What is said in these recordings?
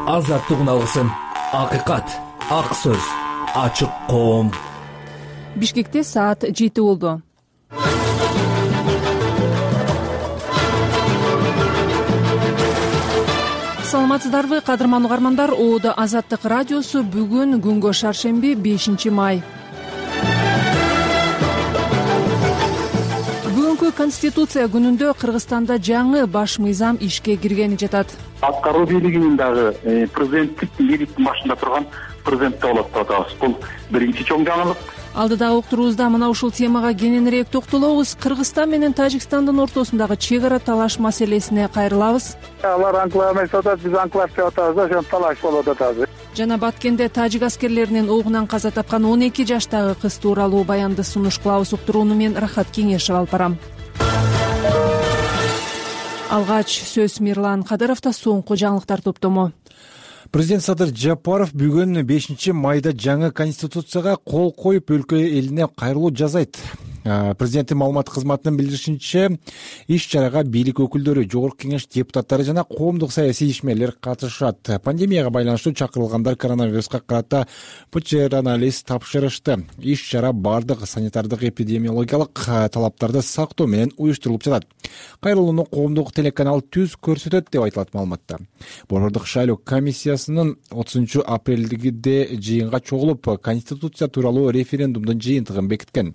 азаттык алгысым, акыйкат, ак сөз, ачык коом. Бишкекте саат 7 болду. Саламатсыздарбы, кадырман угармандар? Оодо Азаттык радиосу бүгүн күнгө шаршемби 5 май. Бүгүнкү Конституция күнүндө Кыргызстанда жаңы баш мыйзам ишке киргени жатат. Аткаруу бийлигинин дагы президенттик бийликтин башында турган президентте болот деп атабыз. Бул биринчи чоң жаңылык. Алдыдагы уктуруубузда мына ушул темага кененирээк токтолобуз. Кыргызстан менен Тажикстандын ортосундагы чек ара талаш маселесине кайрылабыз. Алар анклав эмес деп атат, биз анклав деп атабыз да, ошон талаш болуп атат. Жана Баткенде тажик аскерлеринин огунан каза тапкан 12 жаштагы кыз тууралуу баянды сунуш кылабыз. Уктурууну мен Рахат Кеңешев алып барам. Алгач сөз Мирлан Кадыровдо. Соңку жаңылыктар топтому. Президент Садыр Жапаров бүгүн 5 майда жаңы конституцияга кол коюп өлкө элине кайрылуу жасайт. Президенттин маалымат кызматынын билдиришинче, иш-чарага бийлик өкүлдөрү, жогорку кеңеш депутаттары жана коомдук саясий ишмерлер катышат. Пандемияга байланыштуу чакырылгандар коронавируска карата ПЧР анализ тапшырышты. Иш-чара бардык санитардык эпидемиологиялык талаптарды сактоо менен уюштурулуп жатат. Кайрылууну коомдук телеканал Түз көрсөтөт деп айтылат маалыматта. Борбордук шайлоо комиссиясынын 30 апрелде жыйынга чогулуп, конституция тууралуу референдумдун жыйынтыгын бекиткен.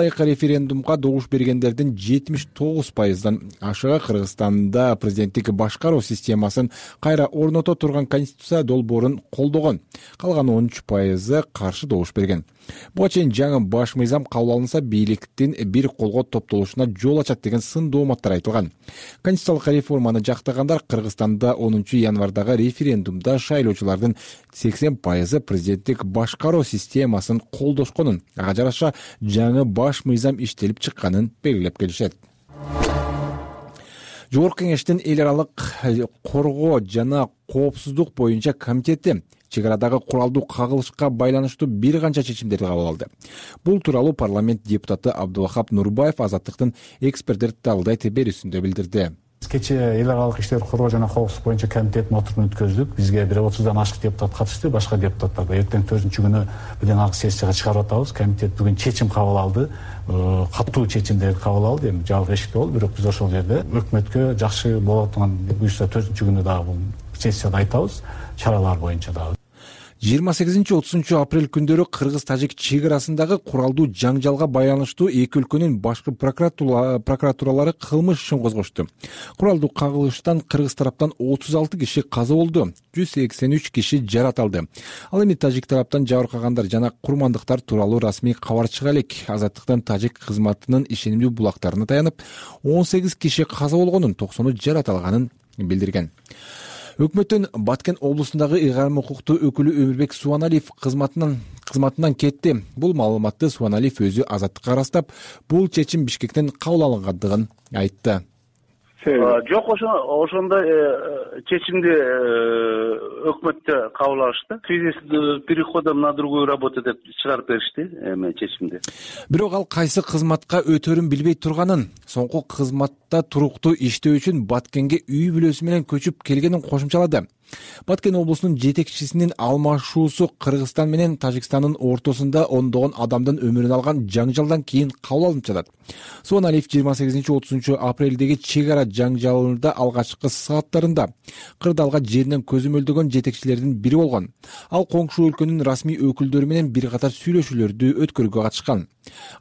Референдумга добуш бергендердин 79%дан ашыгы Кыргызстанда президенттик башкаруу системасын кайра орното турган конституция долбоорун колдогон. Калган 13% каршы добуш берген. Буга чейин жаңы баш мыйзам кабыл алынса, бийликтин бир колго топтолушуна жол ачат деген сын дооматтар айтылган. Конституциялык реформаны жактагандар Кыргызстанда 10 январдагы референдумда шайлоочулардын 80% президенттик башкаруу системасын колдошконун, ага жараша жаңы баш мыйзам иштелип чыкканын белгилеп келишет. Жогорку кеңештин эл аралык коргоо жана коопсуздук боюнча комитети чек арадагы куралдуу кагылышка байланыштуу бир канча чечимдерди кабыл алды. Бул тууралуу парламент депутаты Абдулахап Нурбаев Азаттыктын эксперттер талдайт берүүсүндө билдирди. Кече эл аралык иштер коргоо жана коопсуздук боюнча комитеттин отурумун өткөздүк. Бизге 30дан ашык депутат катышты, башка депутаттар да эртең 4-күнү билен алгы сессияга чыгарып атабыз. Комитет бүгүн чечим кабыл алды. Катуу чечимдерди кабыл алды. Эми жабык эшикте болду, бирок биз ошол жерде өкмөткө жакшы болот турган буюрса 4-күнү дагы бул сессияда айтабыз, чаралар боюнча дагы. 28-30 апрель күндөрү Кыргыз-Тажик чек арасындагы куралдуу жаңжалга байланыштуу эки өлкөнүн башкы прокуратуралары кылмыш ишин козгошту. Куралдуу кагылыштан Кыргыз тараптан 36 киши каза болду, 183 киши жарат алды. Ал эми Тажик тараптан жабыркагандар жана курмандыктар тууралуу расмий кабар чыга элек. Азаттыктын Тажик кызматынын ишенимдүү булактарына таянып, 18 киши каза болгонун, 90 жарат алганын билдирген. Өкмөттүн Баткен облусундагы ыйгарым укуктуу өкүлү Өмүрбек Суаналиев кызматынан кетти. Бул маалыматты Суаналиев өзү Азаттыкка ырастап, бул чечим Бишкектен кабыл алынгандыгын айтты. Жок, ошондой чечимди өкмөттө кабыл алышты. В связи с переходом на другую работу деп чыгарып беришти чечимди. Бирок ал кайсы кызматка өтөрүн билбей турганын, соңку кызматта туруктуу иштөө үчүн Баткенге үй бүлөсү менен көчүп келгенин кошумчалады. Баткен облусунун жетекчисинин алмашуусу Кыргызстан менен Тажикстандын ортосунда ондогон адамдын өмүрүн алган жаңжалдан кийин кабыл алынып жатат. Суаналиев 28-30 апрелдеги чек ара жаңжалында алгачкы сааттарында кырдаалга жеринен көзөмөлдөгөн жетекчилердин бири болгон. Ал коңшу өлкөнүн расмий өкүлдөрү менен бир катар сүйлөшүүлөрдү өткөрүүгө катышкан.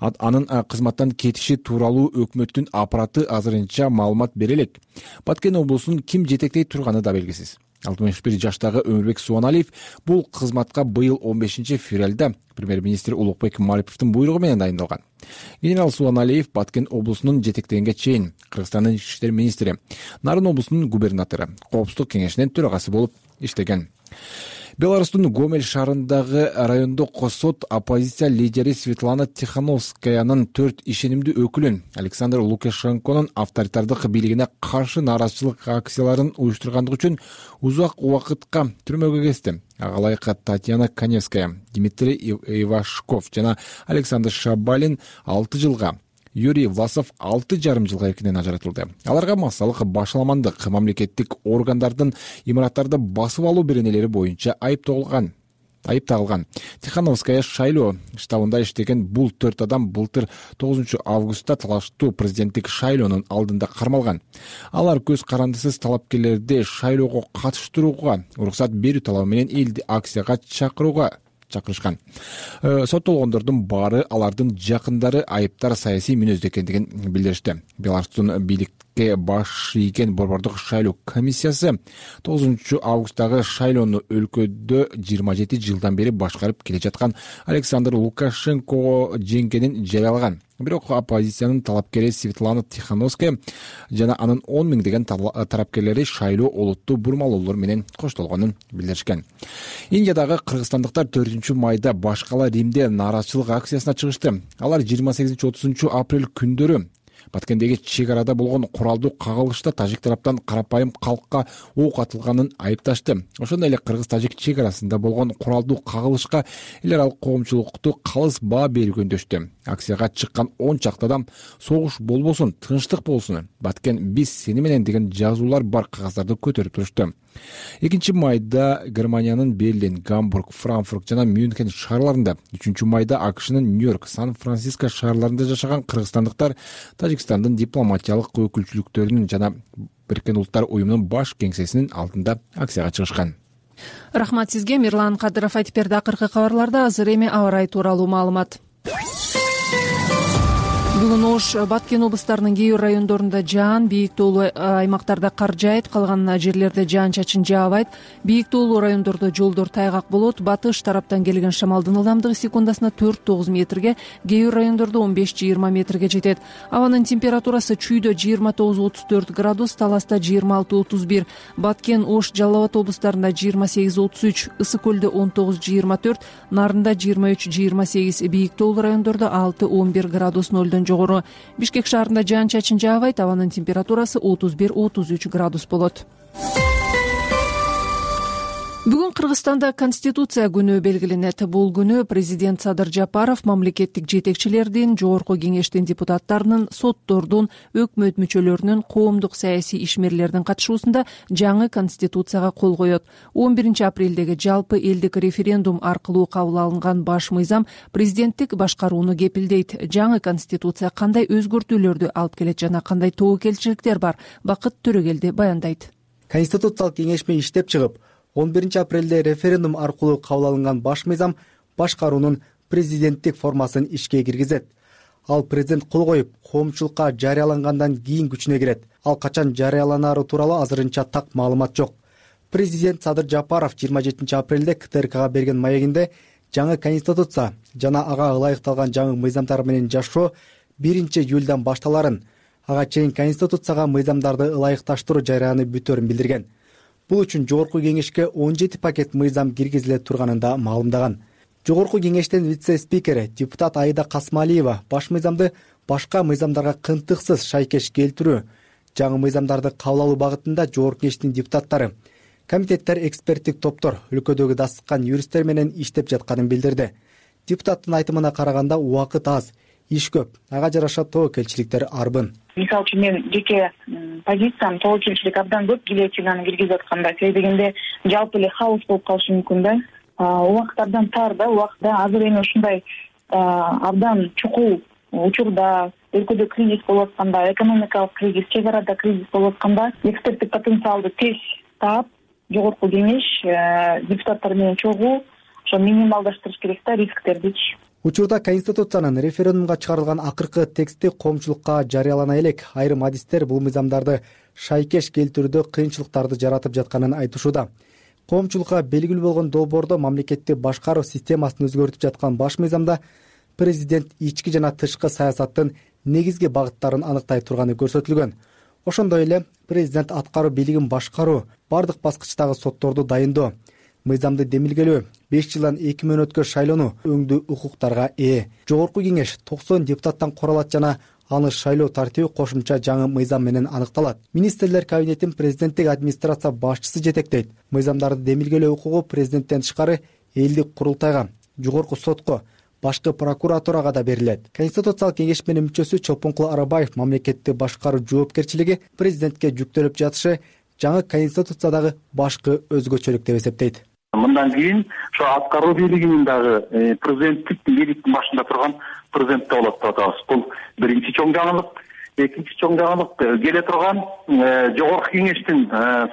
Анын кызматтан кетиши тууралуу өкмөттүн аппараты азырынча маалымат бере элек. Баткен облусун ким жетектей турганы да белгисиз. 61 жаштагы Өмүрбек Суаналиев бул кызматка быйыл 15 февралда премьер-министр Улукбек Мариповдун буйругу менен дайындалган. Генерал Суаналиев Баткен облусунун жетектегенге чейин Кыргызстандын ички иштер министри, Нарын облусунун губернатору, коопсуздук кеңешинин төрагасы болуп иштеген. Беларустун Гомель шаарындагы райондук сот оппозиция лидери Светлана Тихановскаянын 4 ишенимдүү өкүлүн Александр Лукашенконун авторитардык бийлигине каршы нааразычылык акцияларын уюштургандыгы үчүн узак убакытка түрмөгө кести. Агалайык Татьяна Каневская, Дмитрий Ивашков жана Александр Шабалин 6 жылга, Юрий Власов 6,5 жылга эркинен ажыратылды. Аларга массалык башаламандык, мамлекеттик органдардын имараттарды басып алуу беренелери боюнча айып тагылган. Тихановская шайлоо штабында иштеген бул 4 адам былтыр 9 августта талаштуу президенттик шайлоонун алдында кармалган. Алар көз карандысыз талапкерлерди шайлоого катыштырууга уруксат берүү талабы менен элди акцияга чакырышкан. Соттолгондордун баары алардын жакындары, айыптар саясий мүнөздө экендигин билдиришти. Беларустун бийликке баш ийген борбордук шайлоо комиссиясы 9 августтагы шайлоону өлкөдө 27 жылдан бери башкарып келе жаткан Александр Лукашенко жеңгенин жарыялаган. Бирок оппозициянын талапкери Светлана Тихановская жана анын 10 миңдеген тарапкерлери шайлоо олуттуу бурмалоолор менен коштолгонун билдиришкен. Индиядагы кыргызстандыктар 4 майда башкала Римде нааразычылык акциясына чыгышты. Алар 28-30 апрель күндөрү Баткендеги чек арада болгон куралдуу кагылышта тажик тараптан карапайым калкка ок атылганын айыпташты. Ошондой эле кыргыз-тажик чек арасында болгон куралдуу кагылышка эл аралык коомчулукту калыс баа берүү жөндөштү. Акцияга чыккан 10 чакты адам согуш болбосун, тынчтык болсун, Баткен биз сени менен деген жазуулар бар кагаздарды көтөрүп турушту. 2 майда Германиянын Берлин, Гамбург, Франкфурт жана Мюнхен шаарларында, 3 майда АКШнын Нью-Йорк, Сан-Франциско шаарларында жашаган кыргызстандыктар Тажикстандын дипломатиялык өкүлчүлүктөрүнүн жана Бириккен Улуттар уюмунун баш кеңсесинин алдында акцияга чыгышкан. Рахмат сизге, Мирлан Кадыров айтып берди. Акыркы кабарларда азыр эми аба ырайы тууралуу маалымат. Бүгүн ош Баткен облустарынын кээ бир райондорунда жаан, бийик тоолуу аймактарда кар жаайт, калган жерлерде жаан-чачын жаабайт. Бийик тоолуу райондордо жолдор тайгак болот. Батыш тараптан келген шамалдын ылдамдыгы секундасына 4-9 метрге, кээ бир райондордо 15-20 метрге жетет. Абанын температурасы чүйдө 29-34 градус, Таласта 26-31, Баткен, Ош, Жалал Абад облустарында 28-33, Ысык көлдө 19-24, Нарында 23-28, бийик тоолуу райондордо 6-11 градус нөлдөн жогору. Бишкек шаарында жаан-чачын жаабайт, абанын температурасы 31-33 градус болот. Бүгүн Кыргызстанда Конституция күнү белгиленет. Бул күнү президент Садыр Жапаров мамлекеттик жетекчилердин, жогорку кеңештин депутаттарынын, соттордун, өкмөт мүчөлөрүнүн, коомдук саясий ишмерлердин катышуусунда жаңы Конституцияга кол коет. 11 апрелдеги жалпы элдик референдум аркылуу кабыл алынган баш мыйзам президенттик башкарууну кепилдейт. Жаңы Конституция кандай өзгөртүүлөрдү алып келет жана кандай тобокелчиликтер бар? Бакыт Төрөгелди баяндайт. Конституциялык кеңешме иштеп чыгып, 11 апрелде референдум аркылуу кабыл алынган баш мыйзам башкаруунун президенттик формасын ишке киргизет. Ал президент кол коюп, коомчулукка жарыялангандан кийин күчүнө кирет. Ал качан жарыяланары тууралуу азырынча так маалымат жок. Президент Садыр Жапаров 27 апрелде КТРКга берген маегинде жаңы Конституция жана ага ылайыкталган жаңы мыйзамдар менен жашоо 1 июлдан башталарын, ага чейин Конституцияга мыйзамдарды ылайыкташтыруу жарыяны бүтөөрүн билдирген. Бул үчүн жогорку кеңешке 17 пакет мыйзам киргизиле турганын да маалымдаган. Жогорку кеңештин вице-спикери депутат Аида Касмалиева баш мыйзамды башка мыйзамдарга кынтыксыз шайкеш келтирүү, жаңы мыйзамдарды кабыл алуу багытында жогорку кеңештин депутаттары, комитеттер, эксперттик топтор, өлкөдөгү дасыккан юристтер менен иштеп жатканын билдирди. Депутаттын айтымына караганда убакыт аз, иш көп, ага жараша тобокелчиликтер арбын. Мисалы үчүн мен жеке позициям тобокелчилик абдан көп гильотинаны киргизип атканда, себеби дегенде жалпы эле хаос болуп калышы мүмкүн да. Убакыт абдан тар да, убакытта азыр эми ушундай абдан чукул учурда, өлкөдө кризис болуп атканда, экономикалык кризис, чек арада кризис болуп атканда, эксперттик потенциалды тез таап, жогорку кеңеш депутаттар менен чогуу ошо минималдаштырыш керек да рисктердичи. Учурда Конституциянын референдумга чыгарылган акыркы тексти коомчулукка жарыялана элек. Айрым адистер бул мыйзамдарды шайкеш келтирүүдө кыйынчылыктарды жаратып жатканын айтышууда. Коомчулукка белгилүү болгон долбоордо мамлекетти башкаруу системасын өзгөртүп жаткан баш мыйзамда президент ички жана тышкы саясаттын негизги багыттарын аныктай турганы көрсөтүлгөн. Ошондой эле президент аткаруу бийлигин башкаруу, бардык баскычтагы сотторду дайындоо, мыйзамды демилгелөө, 5 жылдан 2 мөөнөткө шайлоону өңдүү укуктарга ээ. Жогорку кеңеш 90 депутаттан куралат жана аны шайлоо тартиби кошумча жаңы мыйзам менен аныкталат. Министрлер кабинетин президенттик администрация башчысы жетектейт. Мыйзамдарды демилгелөө укугу президенттен тышкары элдик курултайга, жогорку сотко, башкы прокуратурага да берилет. Конституциялык кеңешменин мүчөсү Чолпонкул Арабаев мамлекетти башкаруу жоопкерчилиги президентке жүктөлүп жатышы жаңы конституциядагы башкы өзгөчөлүк деп эсептейт. Мындан кийин ошо аткаруу бийлигинин дагы президенттик бийликтин башында турган президентте болот деп атабыз. Бул биринчи чоң жаңылык. Экинчи чоң жаңылык келе турган жогорку кеңештин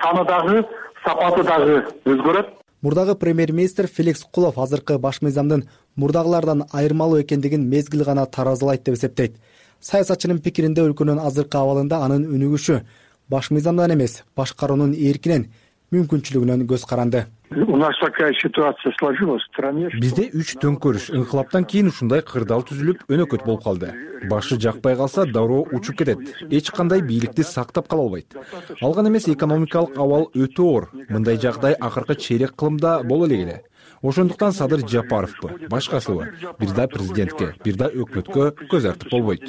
саны дагы, сапаты дагы өзгөрөт. Мурдагы премьер-министр Феликс Кулов азыркы баш мыйзамдын мурдагылардан айырмалуу экендигин мезгил гана таразылайт деп эсептейт. Саясатчынын пикиринде өлкөнүн азыркы абалында анын өнүгүшү баш мыйзамдан эмес, башкаруунун эркинен, мүмкүнчүлүгүнөн көз каранды. У нас такая ситуация сложилась в стране. Бизде 3 төңкөрүш, инкылаптан кийин ушундай кырдаал түзүлүп, өнөкөт болуп калды. Башы жакпай калса, дароо учуп кетет. Эч кандай бийликти сактап кала албайт. Алган эмес экономикалык абал өтө оор. Мындай жагдай акыркы чейрек кылымда боло элек эле. Ошондуктан Садыр Жапаровпу, башкасыбы, бир да президентке, бир да өкмөткө көз артып болбойт.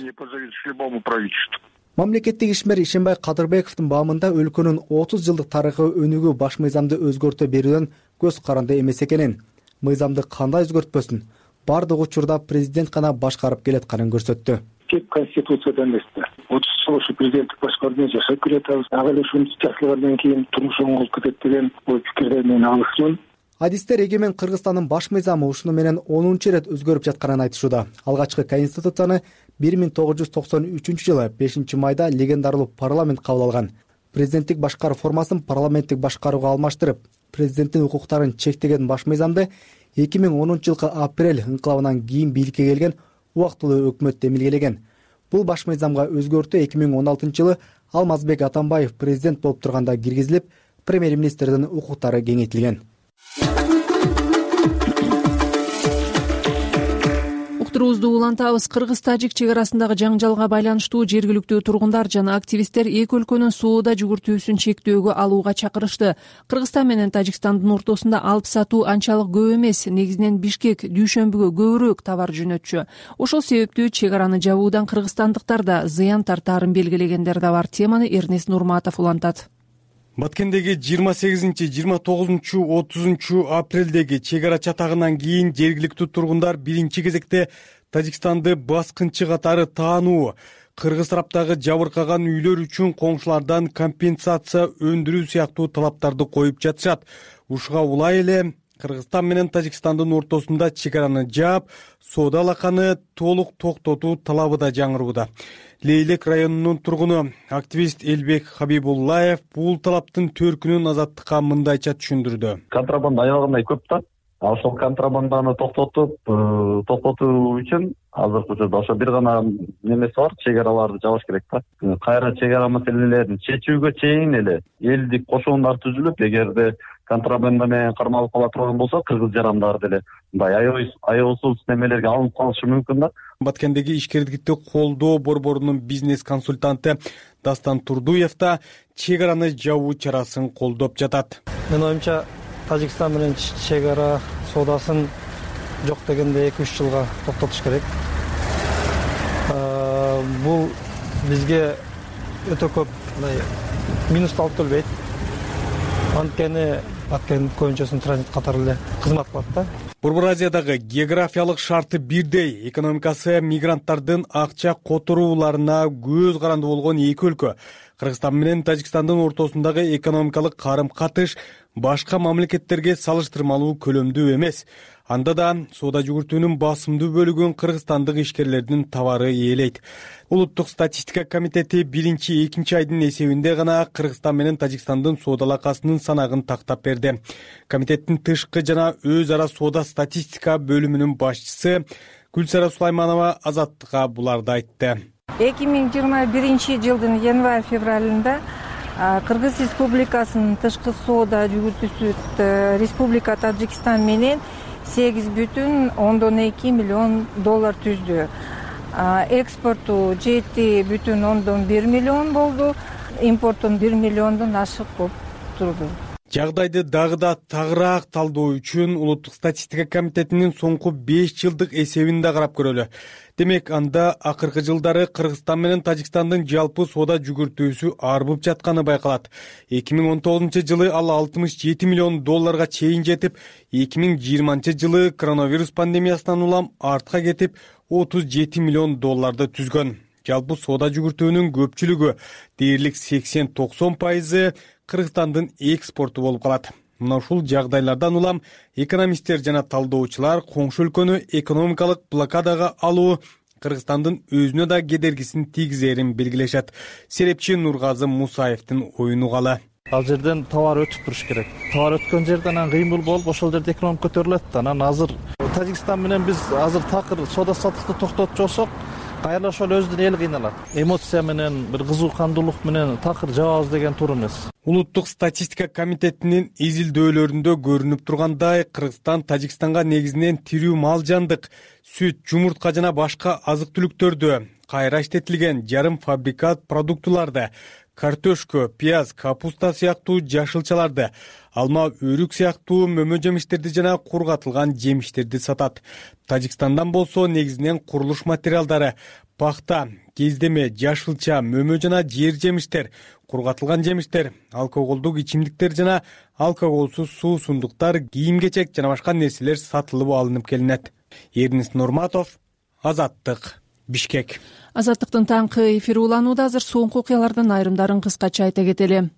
Мамлекеттик ишмер Ишенбай Кадырбековдун баамында өлкөнүн 30 жылдык тарыхы өнүгүү баш мыйзамды өзгөртө берүүдөн көз каранды эмес экенин, мыйзамды кандай өзгөртпөсүн бардык учурда президент гана башкарып келатканын көрсөттү. Тек конституцияда эмес да. 30 жыл ошо президенттик башкаруудан жашап келатабыз. Ага эле ушунча жашагандан кийин турмуш оңолуп кетет деген ой пикирден мен алысмын. Адистер эгемен Кыргызстандын баш мыйзамы ушуну менен 10-чу ирет өзгөрүп жатканын айтышууда. Алгачкы конституцияны 1993-жылы 5-майда легендарлуу парламент кабыл алган. Президенттик башкаруу формасын парламенттик башкарууга алмаштырып, президенттин укуктарын чектеген баш мыйзамды 2010-жылкы апрель инкылабынан кийин бийликке келген убактылуу өкмөт демилгелеген. Бул баш мыйзамга өзгөртүү 2016-жылы Алмазбек Атамбаев президент болуп турганда киргизилип, премьер-министрдин укуктары кеңейтилген. Уктуруубузду улантабыз. Кыргыз-тажик чек арасындагы жаңжалга байланыштуу жергиликтүү тургундар жана активисттер эки өлкөнүн соода жүгүртүүсүн чектөөгө алууга чакырышты. Кыргызстан менен Тажикстандын ортосунда алып сатуу анчалык көп эмес. Негизинен Бишкек дүйшөмбүгө көбүрөөк товар жөнөтчү. Ошол себептүү чек араны жабуудан кыргызстандыктар да зыян тартаарын белгилегендер да бар. Теманы Эрнест Нурматов улантат. Баткендеги 28-29-30 апрелдеги чек ара чатагынан кийин жергиликтүү тургундар биринчи кезекте Тажикстанды баскынчы катары таануу, кыргыз тараптагы жабыркаган үйлөр үчүн коңшулардан компенсация өндүрүү сыяктуу талаптарды коюп жатышат. Ушуга улай эле Кыргызстан менен Тажикстандын ортосунда чек араны жаап, соода алаканы толук токтотуу талабы да жаңырууда. Лейлек районунун тургуну активист Элбек Хабибуллаев бул талаптын төркүнүн Азаттыкка мындайча түшүндүрдү. Контрабанда аябагандай көп да. Ошол контрабанданы токтотуу үчүн азыркы учурда ошо бир гана немеси бар, чек араларды жабыш керек да. Кайра чек ара маселелерин чечүүгө чейин эле элдик кошоондар түзүлүп, эгерде контрабанда менен кармалып кала турган болсо, кыргыз жарандары деле мындай аеосуз немелерге алынып калышы мүмкүн да. Баткендеги ишкерликти колдоо борборунун бизнес консультанты Дастан Турдуев да чек араны жабуу чарасын колдоп жатат. Менин оюмча, Тажикстан менен чек ара соодасын жок дегенде 2-3 жылга токтотуш керек. Бул бизге өтө көп минус алып келбейт. Анткени Баткен көбүнчөсүн транзит катары эле кызмат кылат да. Борбор Азиядагы географиялык шарты бирдей, экономикасы мигранттардын акча которууларына көз каранды болгон эки өлкө Кыргызстан менен Тажикстандын ортосундагы экономикалык карым-катыш башка мамлекеттерге салыштырмалуу көлөмдүү эмес. Анда да соода жүгүртүүнүн басымдуу бөлүгүн кыргызстандык ишкерлердин товары ээлейт. Улуттук статистика комитети 1-2 айдын эсебинде гана Кыргызстан менен Тажикстандын соода алакасынын санагын тактап берди. Комитеттин тышкы жана өз ара соода статистика бөлүмүнүн башчысы Гүлсара Сулайманова Азаттыкка буларды айтты. 2021 январь-февралында Кыргыз Республикасынын тышкы соода жүгүртүүсү Республика Тажикстан менен $8,2 миллион түздү. Экспорту $7,1 миллион болду, импортун $1 миллиондон ашык болуп турду. Жагдайды дагы да тагыраак талдоо үчүн улуттук статистика комитетинин соңку 5 жылдык эсебин да карап көрөлү. Демек, анда акыркы жылдары Кыргызстан менен Тажикстандын жалпы соода жүгүртүүсү арбып жатканы байкалат. 2019-жылы ал 67 миллион долларга чейин жетип, 2020-жылы коронавирус пандемиясынан улам артка кетип 37 миллион долларды түзгөн. Жалпы соода жүгүртүүнүн көпчүлүгү, дээрлик 80-90% Кыргызстандын экспорту болуп калат. Мына ушул жагдайлардан улам экономисттер жана талдоочулар коңшу өлкөнү экономикалык блокадага алуу Кыргызстандын өзүнө да кедергисин тийгизерин белгилешет. Серепчи Нургазы Мусаевдин оюн угалы. Ал жерден товар өтүп туруш керек. Товар өткөн жерден анан кыймыл болуп, ошол жерде экономика көтөрүлөт. Анан азыр Тажикстан менен биз азыр такыр соода саттыкты токтотуп жоксок, кайра ошол өзүнүн эли кыйналат. Эмоция менен, бир кызуу кандуулук менен такыр жабабыз деген туура эмес. Улуттук статистика комитетинин изилдөөлөрүндө көрүнүп тургандай, Кыргызстан Тажикстанга негизинен тирүү мал жандык, сүт, жумуртка жана башка азык-түлүктөрдү, кайра иштетилген жарым фабрикат продуктуларды, картошка, пияз, капуста сыяктуу жашылчаларды, алма, өрүк сыяктуу мөмө жемиштерди жана кургатылган жемиштерди сатат. Тажикстандан болсо негизинен курулуш материалдары, пахта, кездеме, жашылча, мөмө жана жер жемиштер, кургатылган жемиштер, алкоголдук ичимдиктер жана алкоголсуз суусундуктар, кийим-кечек жана башка нерселер сатылып алынып келинет. Эрнис Нурматов, Азаттык, Бишкек. Азаттыктын таңкы эфири уланууда. Азыр соңку окуялардын айрымдарын кыскача айта кетели.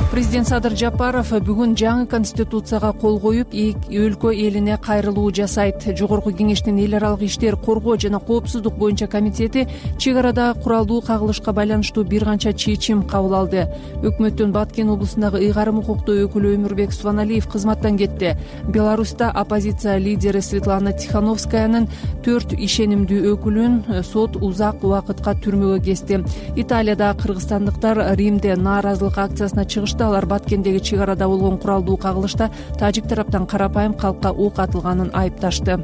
Президент Садыр Жапаров бүгүн жаңы конституцияга кол коюп, өлкө элине кайрылуу жасайт. Жогорку кеңештин эл аралык иштер, коргоо жана коопсуздук боюнча комитети чек арада куралдуу кагылышка байланыштуу бир канча чечим кабыл алды. Өкмөттүн Баткен облусундагы ыйгарым укуктуу өкүлү Өмүрбек Субаналиев кызматтан кетти. Беларуста оппозиция лидери Светлана Тихановскаянын 4 ишенимдүү өкүлүн сот узак убакытка түрмөгө кести. Италияда кыргызстандыктар Римде нааразылык акциясына чыгышты. Алар Баткендеги чек арада болгон куралдуу кагылышта тажик тараптан карапайым калкка ок атылганын айыпташты.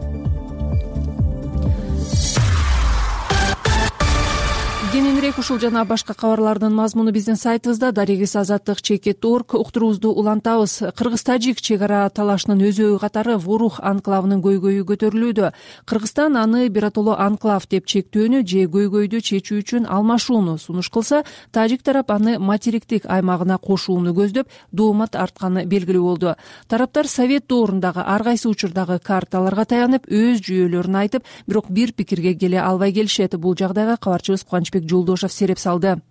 Кененирээк ушул жана башка кабарлардын мазмуну биздин сайтыбызда. darigis.azаттык.org уктуруубузду улантабыз. Кыргыз-тажик чек ара талашынын өзөгү катары Ворух анклавынын көйгөйү көтөрүлүүдө. Кыргызстан аны биротоло анклав деп чектөөнү же көйгөйдү чечүү үчүн алмашууну сунуш кылса, тажик тарап аны материктик аймагына кошууну көздөп, доомат артканы белгилүү болду. Тараптар совет доорундагы ар кайсы учурдагы карталарга таянып, өз жүйөлөрүн айтып, бирок бир пикирге келе албай келишет. Бул жагдайга кабарчыбыз Кубанычбек Жолдошов сереп салды.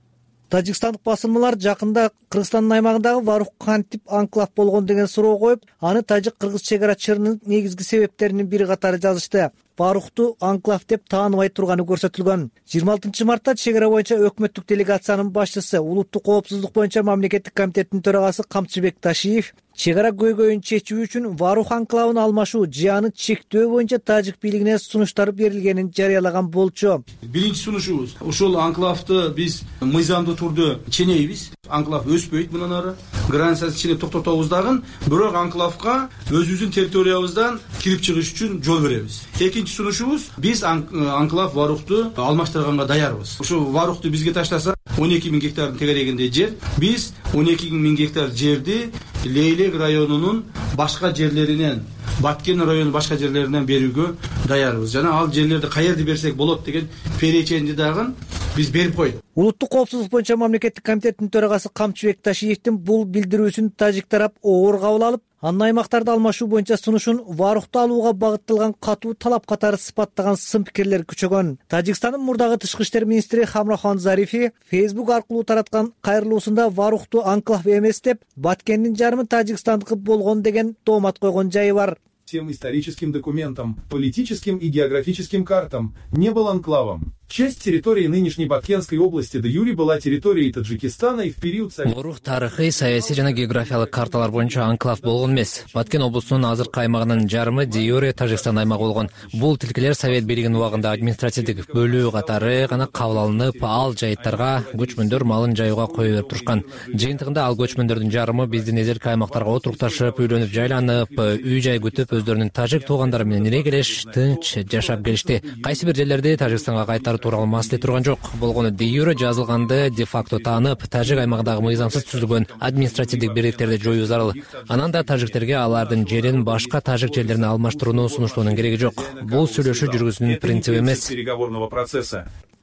Тажикстандык басылмалар жакында Кыргызстандын аймагындагы Варух кантип анклав болгон деген суроо коюп, аны тажик-кыргыз чек ара чырынын негизги себептеринин бири катары жазышты. Варухту анклав деп тааныбай турганы көрсөтүлгөн. 26 мартта чек ара боюнча өкмөттүк делегациянын башчысы, улуттук коопсуздук боюнча мамлекеттик комитеттин төрагасы Камчыбек Ташиев чек ара көйгөйүн чечүү үчүн Варух анклавын алмашуу же аны чектөө боюнча тажик бийлигине сунуштар берилгенин жарыялаган болчу. Биринчи сунушубуз ушул анклавды биз мыйзамдуу түрдө ченейбиз. Анклав өспөйт мындан ары. Границасын ченеп токтотобуз дагы, бирок анклавга өзүбүздүн территориябыздан кирип чыгыш үчүн жол беребиз. Экинчи сунушубуз биз анклав Варухту алмаштырганга даярбыз. Ушул Варухту бизге таштаса 12 000 гектардын тегерегинде жер. Биз 12 000 гектар жерди Лейлек районунун башка жерлеринен, Баткен районунун башка жерлеринен берүүгө даярбыз. Жана ал жерлерди каерде берсек болот деген переченди дагы биз берип койдук. Улуттук коопсуздук боюнча мамлекеттик комитеттин төрагасы Камчыбек Ташиевдин бул билдирүүсүн тажик тарап оор кабыл алып, анын аймактарды алмашуу боюнча сунушун Варухту алууга багытталган катуу талап катары сыпаттаган сын пикирлер күчөгөн. Тажикстандын мурдагы тышкы иштер министри Хамрахан Зарифи Facebook аркылуу тараткан кайрылуусунда Варухту анклав эмес деп, Баткендин жарымы тажикстандыкы болгон деген доомат койгон жайы бар. Тем историческим документам, политическим и географическим картам не был анклавом. Часть территории нынешней Баткенской области де юре была территорией Таджикистана и в период Ворух тарыхый, саясий жана географиялык карталар боюнча анклав болгон эмес. Баткен облусунун азыркы аймагынын жарымы де юре Тажикстан аймагы болгон. Бул тилкелер совет бийлигинин убагында административдик бөлүү катары гана кабыл алынып, ал жайыттарга көчмөндөр малын жайууга кое берип турушкан. Жыйынтыгында ал көчмөндөрдүн жарымы биздин эзерки аймактарга отурукташып, үйлөнүп жайланып, үй жай күтүп, өздөрүнүн тажик туугандары менен ирегелеш, тынч жашап келишти. Кайсы бир жерлерде Тажикстанга кайтарып тууралуу маселе турган жок. Болгону де юре жазылганды де факто таанып, тажик аймагындагы мыйзамсыз түзүлгөн административдик бирликтерди жоюу зарыл. Анан да тажиктерге алардын жерин башка тажик жерлерине алмаштырууну сунуштоонун кереги жок. Бул сүйлөшүү жүргүзүүнүн принциби эмес.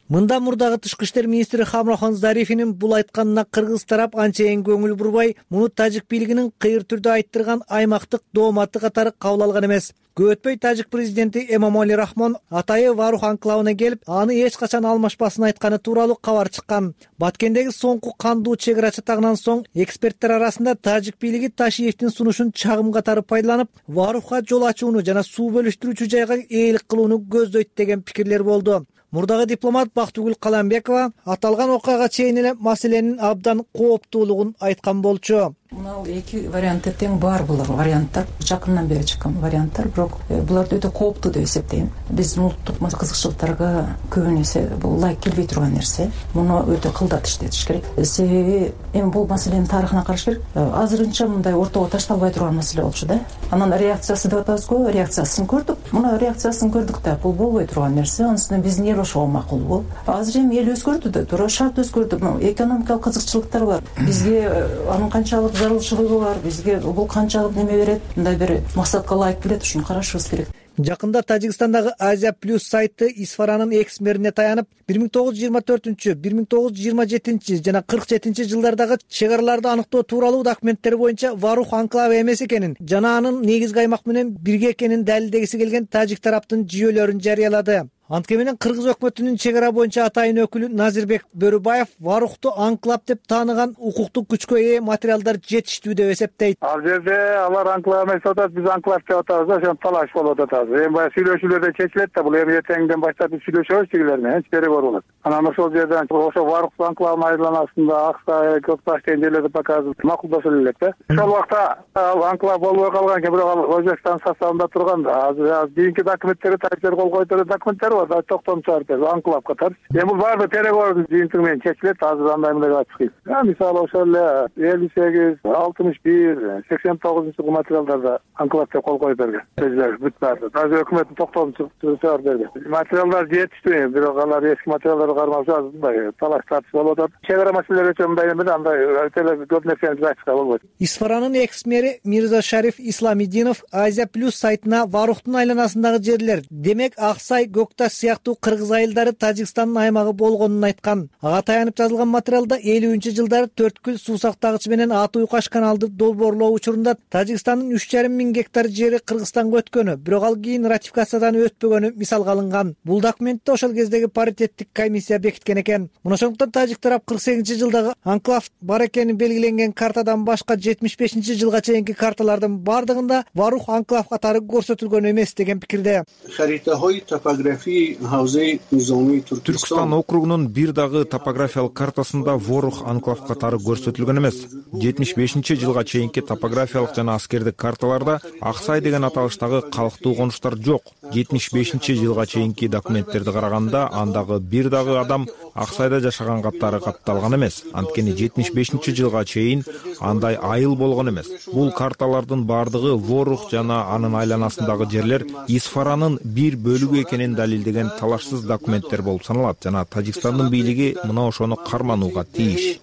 Мында мурдагы тышкы иштер министри Хамрахан Зарифинин бул айтканына кыргыз тарап анчейин көңүл бурбай, муну тажик бийлигинин кыйыр түрдө айттырган аймактык дооматы катары кабыл алган эмес. Көп өтпөй тажик президенти Эмомали Рахмон атайы Варух анклавына келип, аны эч качан алмашпасын айтканы тууралуу кабар чыккан. Баткендеги соңку кандуу чек ара чатагынан соң эксперттер арасында тажик бийлиги Ташиевдин сунушун чагым катары пайдаланып, Варухка жол ачууну жана суу бөлүштүрүүчү жайга ээлик кылууну көздөйт деген пикирлер болду. Мурдагы дипломат Бактыгүл Каламбекова аталган окуяга чейин эле маселенин абдан кооптуулугун айткан болчу. Мына эки варианты тең бар булар варианттар, жакындан бери чыккан варианттар, бирок буларды өтө кооптуу деп эсептейм. Биздин улуттук кызыкчылыктарга көбүн эсе бул лайк келбей турган нерсе. Муну өтө кылдат иштетиш керек. Себеби эми бул маселенин тарыхына караш керек. Азырынча мындай ортого ташталбай турган маселе болчу да. Анан реакциясы деп атабызго, реакциясын көрдүк. Муну реакциясын көрдүк да, бул болбой турган нерсе. Анысынан биздин эл ошого макулбу. Азыр эми эл өзгөрдү да, туура шарт өзгөрдү. Экономикалык кызыкчылыктар бар. Бизге анын канчалык зарылчылыгы бар, бизге бул канчалык неме берет, мындай бир максатка ылайык келет, ушуну карашыбыз керек. Жакында Тажикстандагы Азия Плюс сайты Исфаранын экс-мэрине таянып, 1924-1927 жана 47 жылдардагы чек араларды аныктоо тууралуу документтер боюнча Варух анклавы эмес экенин жана анын негизги аймак менен бирге экенин далилдегиси келген тажик тараптын жүйөлөрүн жарыялады. Анткени менен кыргыз өкмөтүнүн чек ара боюнча атайын өкүлү Назирбек Бөрүбаев Варухту анклав деп тааныган укуктук күчкө ээ материалдар жетиштүү деп эсептейт. Ал жерде алар анклав эмес деп атат, биз анклав деп атабыз да, ошон талаш болуп атат. Эми баягы сүйлөшүүлөрдө чечилет да, бул эми эртеңден баштап биз сүйлөшөбүз тигилер менен, переговор болот. Анан ошол жерден ошо Варух анклавынын айыланасында Аксай, Көкташ деген жерлерди показып макулдашып элек да. Ошол убакта ал анклав болбой калган экен, бирок ал Өзбекстан составында турган да. Азыр кийинки документтерге тажиктер кол койдурган документтер да, токтомчу анклав катары. Эми бул баары переговордун жыйынтыгы менен чечилет, азыр андай мындай ачык. Мисалы ошол эле 58, 61, 89 материалдарда анклав деп кол коюп берген. Бүт баары. Азыр өкмөттүн токтомчу чыгарып берген. Материалдар жетиштүү, бирок алар эски материалдарды кармаса мындай талаш тартыш болуп атат. Чек ара маселелери өчө мындай эмес, андай өтө көп нерсени айтышка болбойт. Исфаранын экс-мэри Мирза Шариф Исламидинов Азия Плюс сайтына Варухтун айланасындагы жерлер, демек Аксай, Көкташ сыяктуу кыргыз айылдары Тажикстандын аймагы болгонун айткан. Ага таянып жазылган материалда 50-жылдары Төрткүл суу сактагычы менен Аты-Уйкаш каналды долбоорлоо учурунда Тажикстандын 3,5 миң гектар жери Кыргызстанга өткөнү, бирок ал кийин ратификациядан өтпөгөнү мисалга алынган. Бул документте ошол кездеги паритеттик комиссия бекиткен экен. Мына ошондуктан тажик тарап 48-жылдагы анклав бар экени белгиленген картадан башка 75-жылга чейинки карталардын бардыгында Варух анклав катары көрсөтүлгөн эмес деген пикирде. Түркстан округунун бир дагы топографиялык картасында Варух анклав катары көрсөтүлгөн эмес. 75-жылга чейинки топографиялык жана аскердик карталарда Аксай деген аталыштагы калктуу конуштар жок. 75-жылга чейинки документтерди караганда андагы бир дагы адам Аксайда жашаган катары катталган эмес. Анткени 75-жылга чейин андай айыл болгон эмес. Бул карталардын бардыгы Варух жана анын айланасындагы жерлер Исфаранын бир бөлүгү экенин далилдеген талашсыз документтер болуп саналат жана Тажикстандын бийлиги мына ошону карманууга тийиш.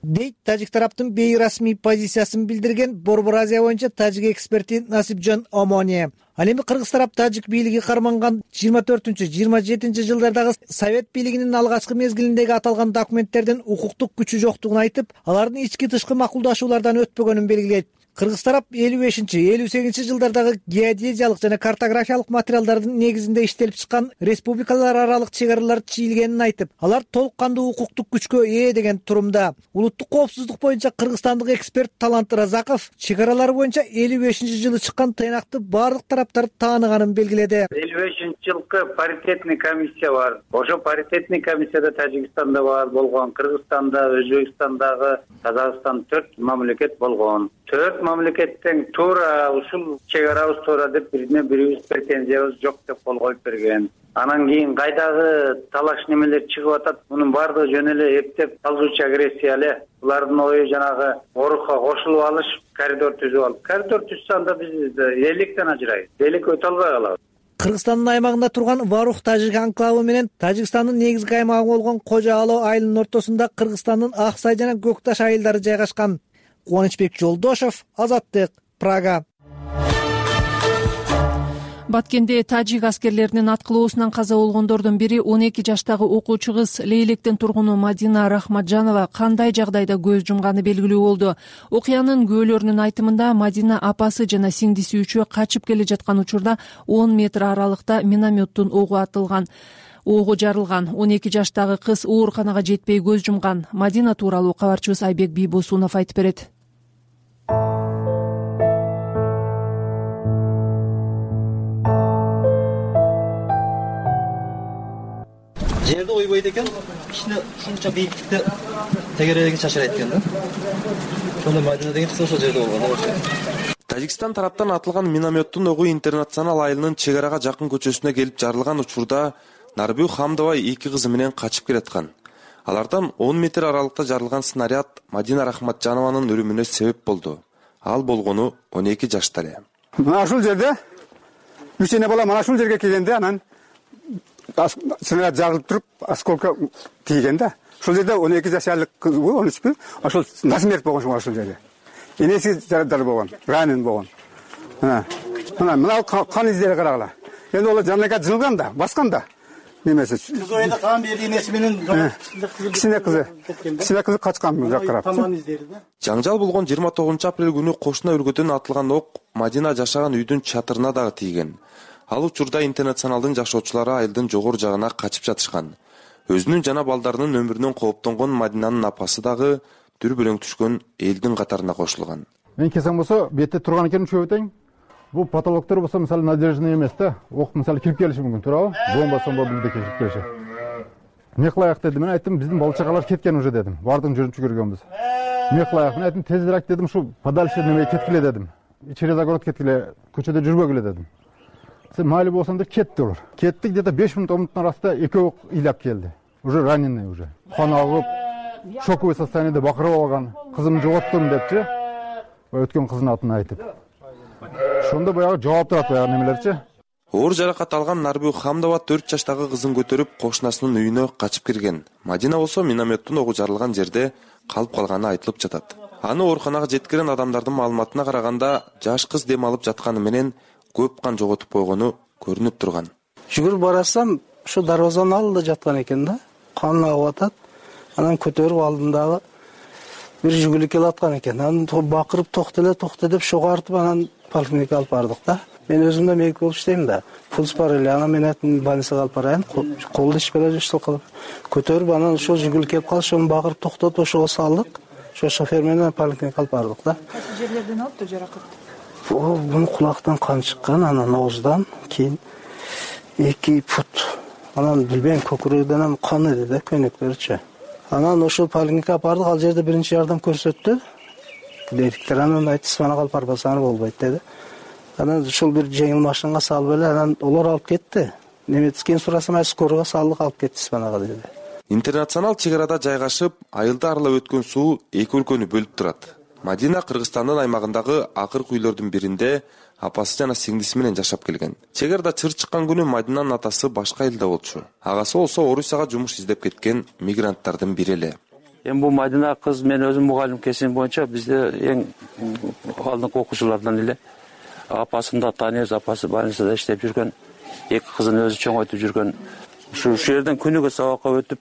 Дейт тажик тараптын бейрасмий позициясын билдирген Борбор Азия боюнча тажик эксперти Насипжан Омония. Ал эми кыргыз тарап тажик бийлиги карманган 24-27 жылдардагы Совет бийлигинин алгачкы мезгилиндеги аталган документтердин укуктук күчү жоктугун айтып, алардын ички-тышкы макулдашуулардан өтпөгөнүн белгилейт. Кыргыз тарап 55-58 жылдардагы геодезиялык жана картографиялык материалдардын негизинде иштелип чыккан республикалар аралык чек аралар чийилгенин айтып, алар толук кандуу укуктук күчкө ээ деген турумда. Улуттук коопсуздук боюнча кыргызстандык эксперт Талант Разаков чек аралар боюнча 55-жылы чыккан тыйнакты бардык тараптар тааныганын белгиледи. 55-жылкы паритетный комиссия бар. Ошо паритетный комиссияда Тажикстанда бар болгон, Кыргызстанда, Өзбекстандагы, Казакстан 4 мамлекет болгон. 4 мамлекеттен туура ушул чек арабыз туура деп бирибиз претензиябыз жок деп кол коюп берген. Анан кийин кайдагы талаш немелер чыгып атат, мунун баардыгы жөн эле эптеп талгуучу агрессия эле. Булардын ою жанагы Орухка кошулуп алыш, коридор түзүп алып. Коридор түзсө анда биз электен ажырайбыз. Элек өтө албай калабыз. Кыргызстандын аймагында турган Варух тажик анклавы менен Тажикстандын негизги аймагы болгон Кожо Ало айылынын ортосунда Кыргызстандын Ак Сай жана Көк Таш айылдары жайгашкан. Кубанычбек Жолдошов, Азаттык, Прага. Баткенде тажик аскерлеринин аткылоосунан каза болгондордун бири 12 жаштагы окуучу кыз Лейлектин тургуну Мадина Рахматжанова кандай жагдайда көз жумганы белгилүү болду. Окуянын күбөлөрүнүн айтымында Мадина апасы жана сиңдиси үчөө качып келе жаткан учурда 10 метр аралыкта минометтун огу жарылган. 12 жаштагы кыз ооруканага жетпей көз жумган. Мадина тууралуу кабарчыбыз Айбек Бийбосунов айтып берет. Жерде ойбойт экен, кичине ушунча бийиктикте тегерегин чачырайт экен да. Ошондо Мадина деген кыз ошол жерде болгон. Тажикстан тараптан атылган минометтун огу Интернационал айылынын чек арага жакын көчөсүнө келип жарылган учурда Нарбүү Хамдова 2 кызы менен качып келаткан. Алардан 10 метр аралыкта жарылган снаряд Мадина Рахматжанованын өлүмүнө себеп болду. Ал болгону 12 жашта эле. Мына ушул жерде үчөне бала мына ушул жерге келгенде анан снаряд жарылып туруп, осколка тийген да. Ушул жерде 12 жашарлык кыз, 13 ошол насмерть болгон ушул жерде. Энеси жарадар болгон, ранен болгон. Мына кан издери карагыла. Эми ол жанага жылган да, баскан да. Немеси. Кыз ойда кан берди, энеси менен кичине кызы качкан бул жакка карап. Таман издери да. Жаңжал болгон 29 апрель күнү кошуна өлкөдөн атылган ок Мадина жашаган үйдүн чатырына дагы тийген. Ал учурда Интернационалдын жашоочулары айылдын жогору жагына качып жатышкан. Өзүнүн жана балдарынын өмүрүнөн кооптонгон Мадинанын апасы дагы дүрбөлөң түшкөн элдин катарына кошулган. Мен келсем болсо, бетте турган экен үчөө өтөйүн. Бул патологдор болсо, мисалы, надежный эмес да. Ок, мисалы, кирип келиши мүмкүн, туурабы? Бомба билди кирип келиши. Эмне кылайык дедим, мен айттым, биздин бала чагалар кеткен уже дедим. Бардыгын жүрүп көргөнбүз. Эмне кылайык? Мен айттым, тезирээк дедим, ушу подальше неме кеткиле дедим. Через огород кеткиле, көчөдө жүрбөгүлө дедим. Майли болсоң да кетти олар. Кеттик, где-то 5 минут оңуттун арасында экөө ыйлап келди. Уже раненый уже. Қан агып, шоковый состояниеде бакырып алган. Кызым жоготтум депчи. Өткөн кыздын атын айтып. Ошондо баягы жооп турат баягы немелерчи. Оор жаракат алган Нарбүү Хамдова 4 жаштагы кызын көтөрүп кошунасынын үйүнө качып кирген. Мадина болсо минометтун огу жарылган жерде калып калганы айтылып жатат. Аны ооруканага жеткирген адамдардын маалыматына караганда, жаш кыз дем алып жатканы менен көп кан жоготуп койгону көрүнүп турган. Жүгүрүп барасам, ушу дарбазанын алдында жаткан экен да. Кан агып атат. Анан көтөрүп алдым дагы. Бир жүгүлүк келаткан экен. Анан бакырып токто деп шогартып анан поликлиникага алып бардык да. Мен өзүм да медик болуп иштейм да. Пульс бар эле. Анан мен айттым, больницага алып барайын. Колду иш бере жашыл кылып. Көтөрүп анан ошол жүгүлүк келип калды, ошону багырып токтотуп ошого салдык. Ошо шофер менен поликлиникага алып бардык да. Кайсы жерлерден алыптыр жаракат? Бунун кулактан кан чыккан, анан ооздан кийин 2 фут. Анан билбейм, көкүрөгдөн кан эди да, көнөктөрчү. Анан ошол поликлиникага бардык, ал жерде биринчи жардам көрсөттү. Медиктер анан айтты, сванага алып барбасаңар болбойт деди. Анан ошол бир жеңил машинага салып эле, анан олар алып кетти. Немецкийин сурасам, скорого салдык, алып кетти сванага деди. Интернационал чек арада жайгашып, айылды аралап өткөн суу эки өлкөнү бөлүп турат. Мадина Кыргызстандын аймагындагы акыркы үйлөрдүн биринде апасы жана сиңдиси менен жашап келген. Чек арада чыр чыккан күнү Мадинанын атасы башка айылда болчу. Агасы болсо Орусияга жумуш издеп кеткен мигранттардын бири эле. Эми бул Мадина кыз, мен өзүм мугалим кесим боюнча бизде эң алдыңкы окуучулардан эле. Апасын да тааныйбыз, апасы больницада иштеп жүргөн, 2 кызын өзү чоңойтуп жүргөн. Ушу жерден күнүгө сабакка өтүп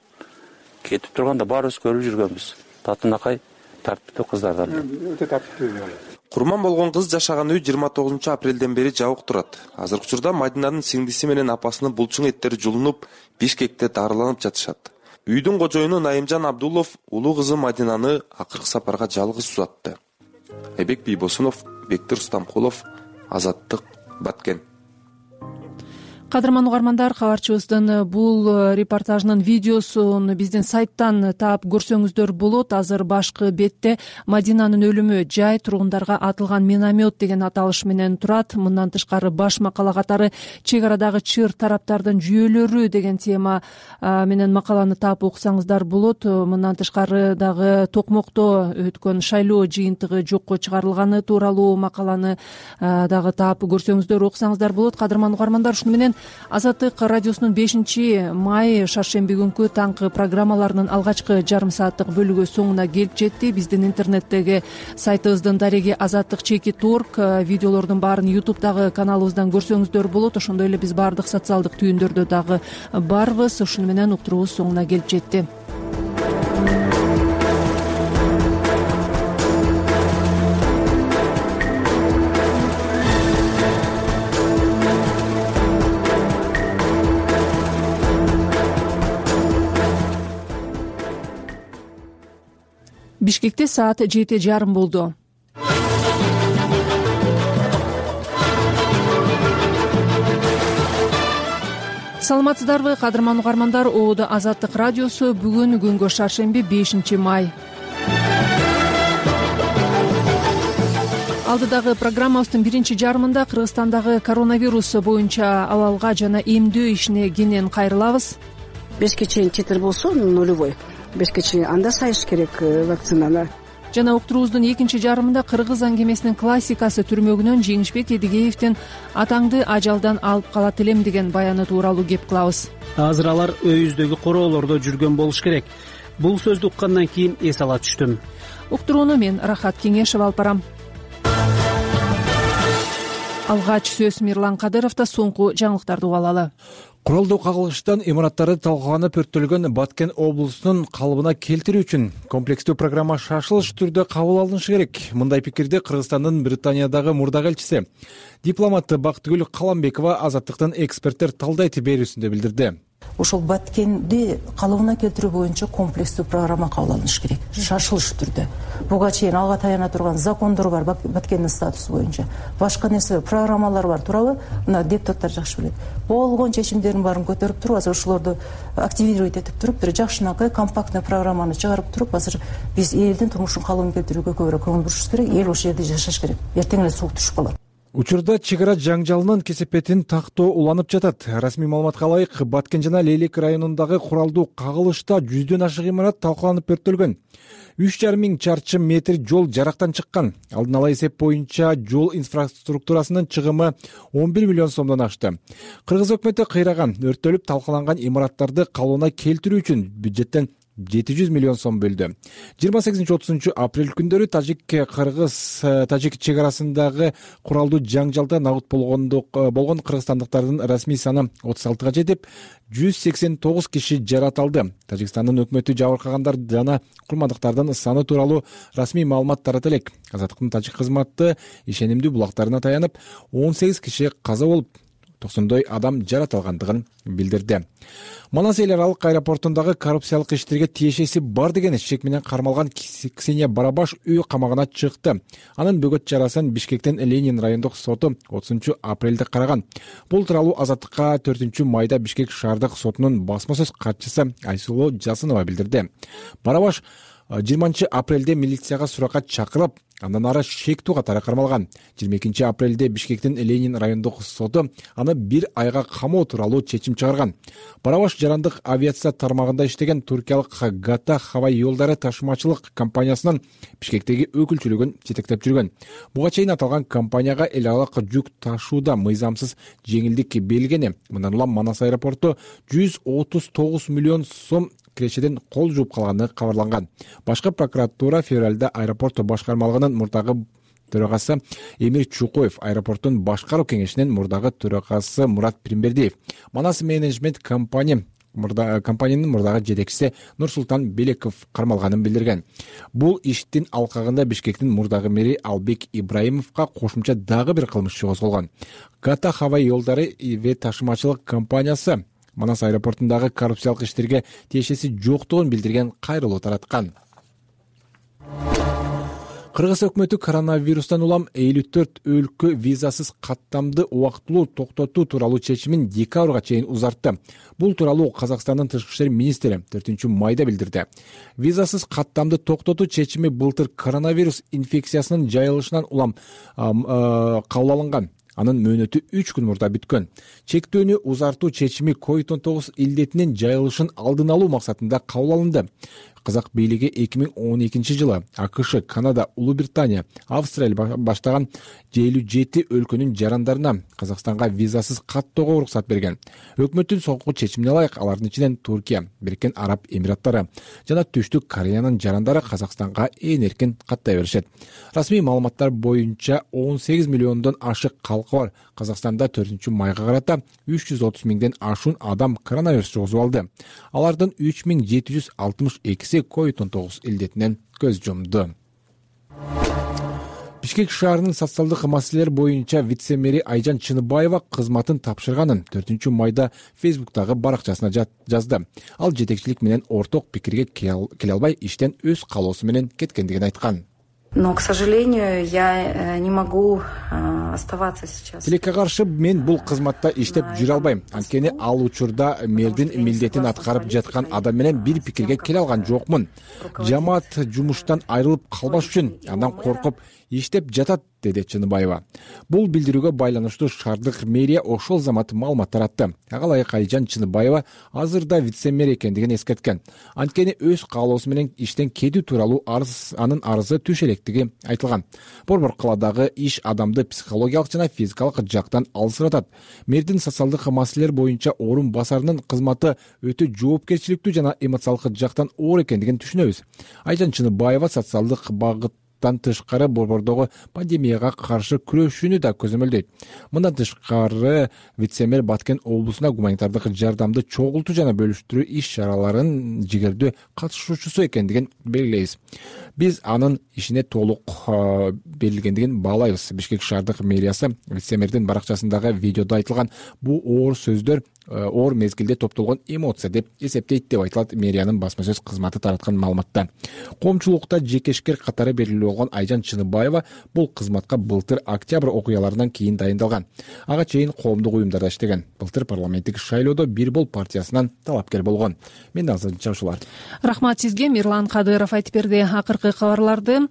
кетип турганда баарыбыз көрүп жүргөнбүз. Татынакай тартиптүү кыздардан. Өтө тартиптүү. Курман болгон кыз жашаган үй 29 апрелден бери жабык турат. Азыркы учурда Мадинанын сиңдиси менен апасынын булчуң эттери жулунуп, Бишкекте дарыланып жатышат. Үйдүн кожоюну Найымжан Абдулов улуу кызы Мадинаны акыркы сапарга жалгыз узатты. Айбек Бийбосунов, Бектир Устамкулов, Азаттык, Баткен. Кадырман угармандар, кабарчыбыздын бул репортажынын видеосун биздин сайттан таап көрсөңүздөр болот. Азыр башкы бетте Мадинанын өлүмү жай тургундарга атылган миномет деген аталыш менен турат. Мындан тышкары баш макала катары чек арадагы чыр тараптардын жүйөлөрү деген тема менен макаланы таап окусаңыздар болот. Мындан тышкары дагы Токмокто өткөн шайлоо жыйынтыгы жокко чыгарылганы тууралуу макаланы дагы таап көрсөңүздөр, окусаңыздар болот. Кадырман угармандар, ушуну менен Азаттык радиосунун 5-май шаршемби күнкү таңкы программаларынын алгачкы жарым сааттык бөлүгү соңуна келип жетти. Биздин интернеттеги сайтыбыздын дареги azattik.org видеолордун баарын YouTube'дагы каналыбыздан көрсөңүздөр болот. Ошондой эле биз баардык социалдык түйүндөрдө дагы барбыз. Ушуну менен уктуруубуз соңуна келип жетти. Бишкекте саат 7:30 болду. Саламатсыздарбы, кадырман угармандар? Оодо Азаттык радиосу. Бүгүн күнгө шаршемби 5-май. Алдыдагы программабыздын биринчи жарымында Кыргызстандагы коронавирус боюнча абалга жана эмдөө ишине кенен кайрылабыз. 5 чейин титр болсо нулевой. 5 чейин анда сайыш керек вакцинаны. Жана уктуруубуздун экинчи жарымында кыргыз аңгемесинин классикасы түрмөгүнөн Жеңишбек Эдигеевдин атаңды ажалдан алып калат элем деген баяны тууралуу кеп кылабыз. Азыр алар өйүздөгү короолордо жүргөн болуш керек. Бул сөздү уккандан кийин эс ала түштүм. Уктурууну мен Рахат Кеңешева алып барам. Алгач сөз Мирлан Кадыровдо. Соңку жаңылыктарды угуп алалы. Куралдуу кагылыштан имараттары талкууланып өрттөлгөн Баткен облусунун калыбына келтирүү үчүн комплекстүү программа шашылыш түрдө кабыл алынышы керек. Мындай пикирди Кыргызстандын Британиядагы мурдагы элчиси, дипломат Бактыгүл Каламбекова Азаттыктын эксперттер талдайт берүүсүндө билдирди. Ошол Баткенди калыбына келтирүү боюнча комплекстүү программа кабыл алыныш керек, шашылыш түрдө. Буга чейин алга таяна турган закондор бар Баткендин статусу боюнча. Башка нерсе программалар бар, туурабы? Мына депутаттар жакшы билет. Болгон чечимдердин баарын көтөрүп туруп, азыр ошолорду активировать этип туруп, бир жакшынакай компактный программаны чыгарып туруп, азыр биз элдин турмушун калыбын келтирүүгө көбүрөөк көңүл бурушубуз керек. Эл ошол жерде жашаш керек. Эртең эле суук түшүп калат. Учурда чек ара жаңжалынын кесепетин тактоо уланып жатат. Расмий маалыматка ылайык, Баткен жана Лейлек районундагы куралдуу кагылышта 100дөн ашык имарат талкаланып өрттөлгөн. 3,5 миң чарчы метр жол жарактан чыккан. Алдын ала эсеп боюнча жол инфраструктурасынын чыгымы 11 миллион сомдон ашты. Кыргыз өкмөтү кыйраган, өрттөлүп талкаланган имараттарды калыбына келтирүү үчүн бюджеттен 700 миллион сом бөлдү. 28-30 апрель күндөрү Тажик чек арасындагы куралдуу жаңжалда набыт болгон кыргызстандыктардын расмий саны 36га жетип, 189 киши жаратылды. Тажикстандын өкмөтү жабыркагандар жана курмандыктардын саны тууралуу расмий маалымат тарата элек. Азаттыктын тажик кызматы ишенимдүү булактарына таянып, 18 киши каза болуп, 90 адам жаратылгандыгын билдирди. Манас эл аралык аэропортундагы коррупциялык иштерге тиешеси бар деген шек менен кармалган Ксения Барабаш үй камагына чыкты. Анын бөгөт чарасын Бишкектин Ленин райондук соту 30 апрелде караган. Бул тууралуу Азаттыкка 4-майда Бишкек шаардык сотунун басма сөз катчысы Айсулуу Жасынова билдирди. Барабаш 20 апрелде милицияга суракка чакырылып, андан ары шектүү катары кармалган. 22 апрелде Бишкектин Ленин райондук соту аны 1 айга камоо тууралуу чечим чыгарган. Барабаш жарандык авиация тармагында иштеген туркиялык Gata Havai Yo'llari ташымачылык компаниясынын Бишкектеги өкүлчүлүгүн жетектеп жүргөн. Буга чейин аталган компанияга эл аралык жүк ташууда мыйзамсыз жеңилдик берилгени. Мындан улам Манас аэропорту 139 миллион сом кирешеден кол жууп калганы кабарланган. Башкы прокуратура февралда аэропорт башкармалыгынын мурдагы төрагасы Эмир Чукоев, аэропорттун башкаруу кеңешинин мурдагы төрагасы Мурат Примбердиев, Манас менеджмент компаниянын мурдагы жетекчиси Нурсултан Белеков кармалганын билдирген. Бул иштин алкагында Бишкектин мурдагы мэри Албек Ибраимовго кошумча дагы бир кылмыш козголгон. Gata Havai Yo'llari ve ташымачылык компаниясы Манас аэропортундагы коррупциялык иштерге тиешеси жоктугун билдирген кайрылуу тараткан. Кыргыз өкмөтү коронавирустан улам 54 өлкө визасыз каттамды убактылуу токтотуу тууралуу чечимин декабрга чейин узартты. Бул тууралуу Казакстандын тышкы иштер министри 4-майда билдирди. Визасыз каттамды токтотуу чечими былтыр коронавирус инфекциясынын жайылышынан улам кабыл алынган. Анын мөөнөтү 3 күн мурда бүткөн. Чектөөнү узартуу чечими COVID-19 илдетинин жайылышын алдын алуу максатында кабыл алынды. Казак бийлиги 2012-жылы АКШ, Канада, Улуу Британия, Австралия баштаган 57 өлкөнүн жарандарына Казакстанга визасыз каттоого уруксат берген. Өкмөттүн соңку чечимине ылайык алардын ичинен Туркия, Бириккен Араб Эмираттары жана Түштүк Кореянын жарандары Казакстанга ээн эркин каттай беришет. Расмий маалыматтар боюнча 18 миллиондон ашык калкы бар. Казакстанда 4-майга карата 330 миңден ашуун адам коронавирус жугузуп алды. Алардын 3762 COVID-19 илдетинен көз жумду. Бишкек шаарынын социалдык маселелер боюнча вице-мэри Айжан Чыныбаева кызматын тапшырганын 4-майда Фейсбуктагы баракчасына жазды. Ал жетекчилик менен орток пикирге келе албай иштен өз каалоосу менен кеткендигин айткан. Но, к сожалению, я не могу оставаться сейчас. Тилекке каршы мен бул кызматта иштеп жүрө албайм. Анткени ал учурда мэрдин милдетин аткарып жаткан адам менен бир пикирге келе алган жокмун. Жамаат жумуштан айрылып калбаш үчүн андан коркуп иштеп жатат, деди Чыныбаева. Бул билдирүүгө байланыштуу шаардык мэрия ошол замат маалымат таратты. Ага ылайык Айжан Чыныбаева азырда вице-мэр экендигин эскерткен. Анткени өз каалоосу менен иштен кетүү тууралуу анын арызы түш электиги айтылган. Борбор каладагы иш адамды психологиялык жана физикалык жактан алсыратат. Мэрдин социалдык маселелер боюнча орун басарынын кызматы өтө жоопкерчиликтүү жана эмоциялык жактан оор экендигин түшүнөбүз. Айжан Чыныбаева социалдык багыттан тышкары борбордогу пандемияга каршы күрөшүүнү да көзөмөлдөйт. Мындан тышкары вице-мэр Баткен облусуна гуманитардык жардамды чогултуу жана бөлүштүрүү иш-чараларынын жигердүү катышуучусу экендигин белгилейбиз. Биз анын ишине толук берилгендигин баалайбыз. Бишкек шаардык мэриясы вице-мэрдин баракчасындагы видеодо айтылган бул оор сөздөр оор мезгилде топтолгон эмоция деп эсептейт, деп айтылат мэриянын басма сөз кызматы тараткан маалыматта. Коомчулукта жекешкер катары белгилүү болгон Айжан Чыныбаева бул кызматка былтыр октябрь окуяларынан кийин дайындалган. Ага чейин коомдук уюмдарда иштеген. Былтыр парламенттик шайлоодо Бир бол партиясынан талапкер болгон. Мен азырынча ушулар. Рахмат сизге. Мирлан Кадыров айтып берди акыркы кабарларды.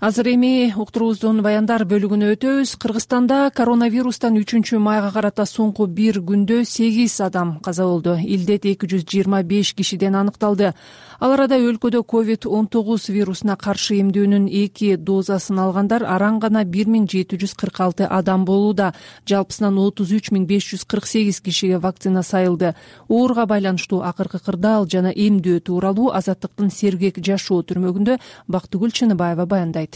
Азыр эми уктуруубуздун баяндар бөлүгүнө өтөбүз. Кыргызстанда коронавирустан 3-майга карата соңку бир күндө 8 адам каза болду. Илдет 225 кишиден аныкталды. Ал арада өлкөдө COVID-19 вирусуна каршы эмдөөнүн 2 дозасын алгандар араң гана 1746 адам болууда. Жалпысынан 33548 кишиге вакцина сайылды. Ооруга байланыштуу акыркы кырдаал жана эмдөө тууралуу Азаттыктын Сергек жашоо түрмөгүндө Бактыгүл Чыныбаева баяндайт.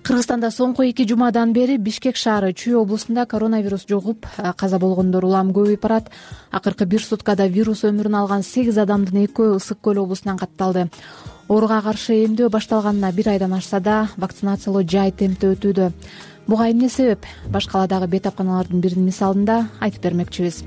Кыргызстанда соңку 2 жумадан бери Бишкек шаары Чүй облусунда коронавирус жугуп каза болгондор улам көбөйүп барат. Акыркы 1 суткада вирус өмүрүн алган 8 адамдын 2-өө Ысык көл облусунан катталды. Ооруга каршы эмдөө башталганына 1 айдан ашса да, вакцинациялоо жай темпте өтүүдө. Буга эмне себеп? Баш каладагы бетапканалардын биринин мисалында айтып бермекчибиз.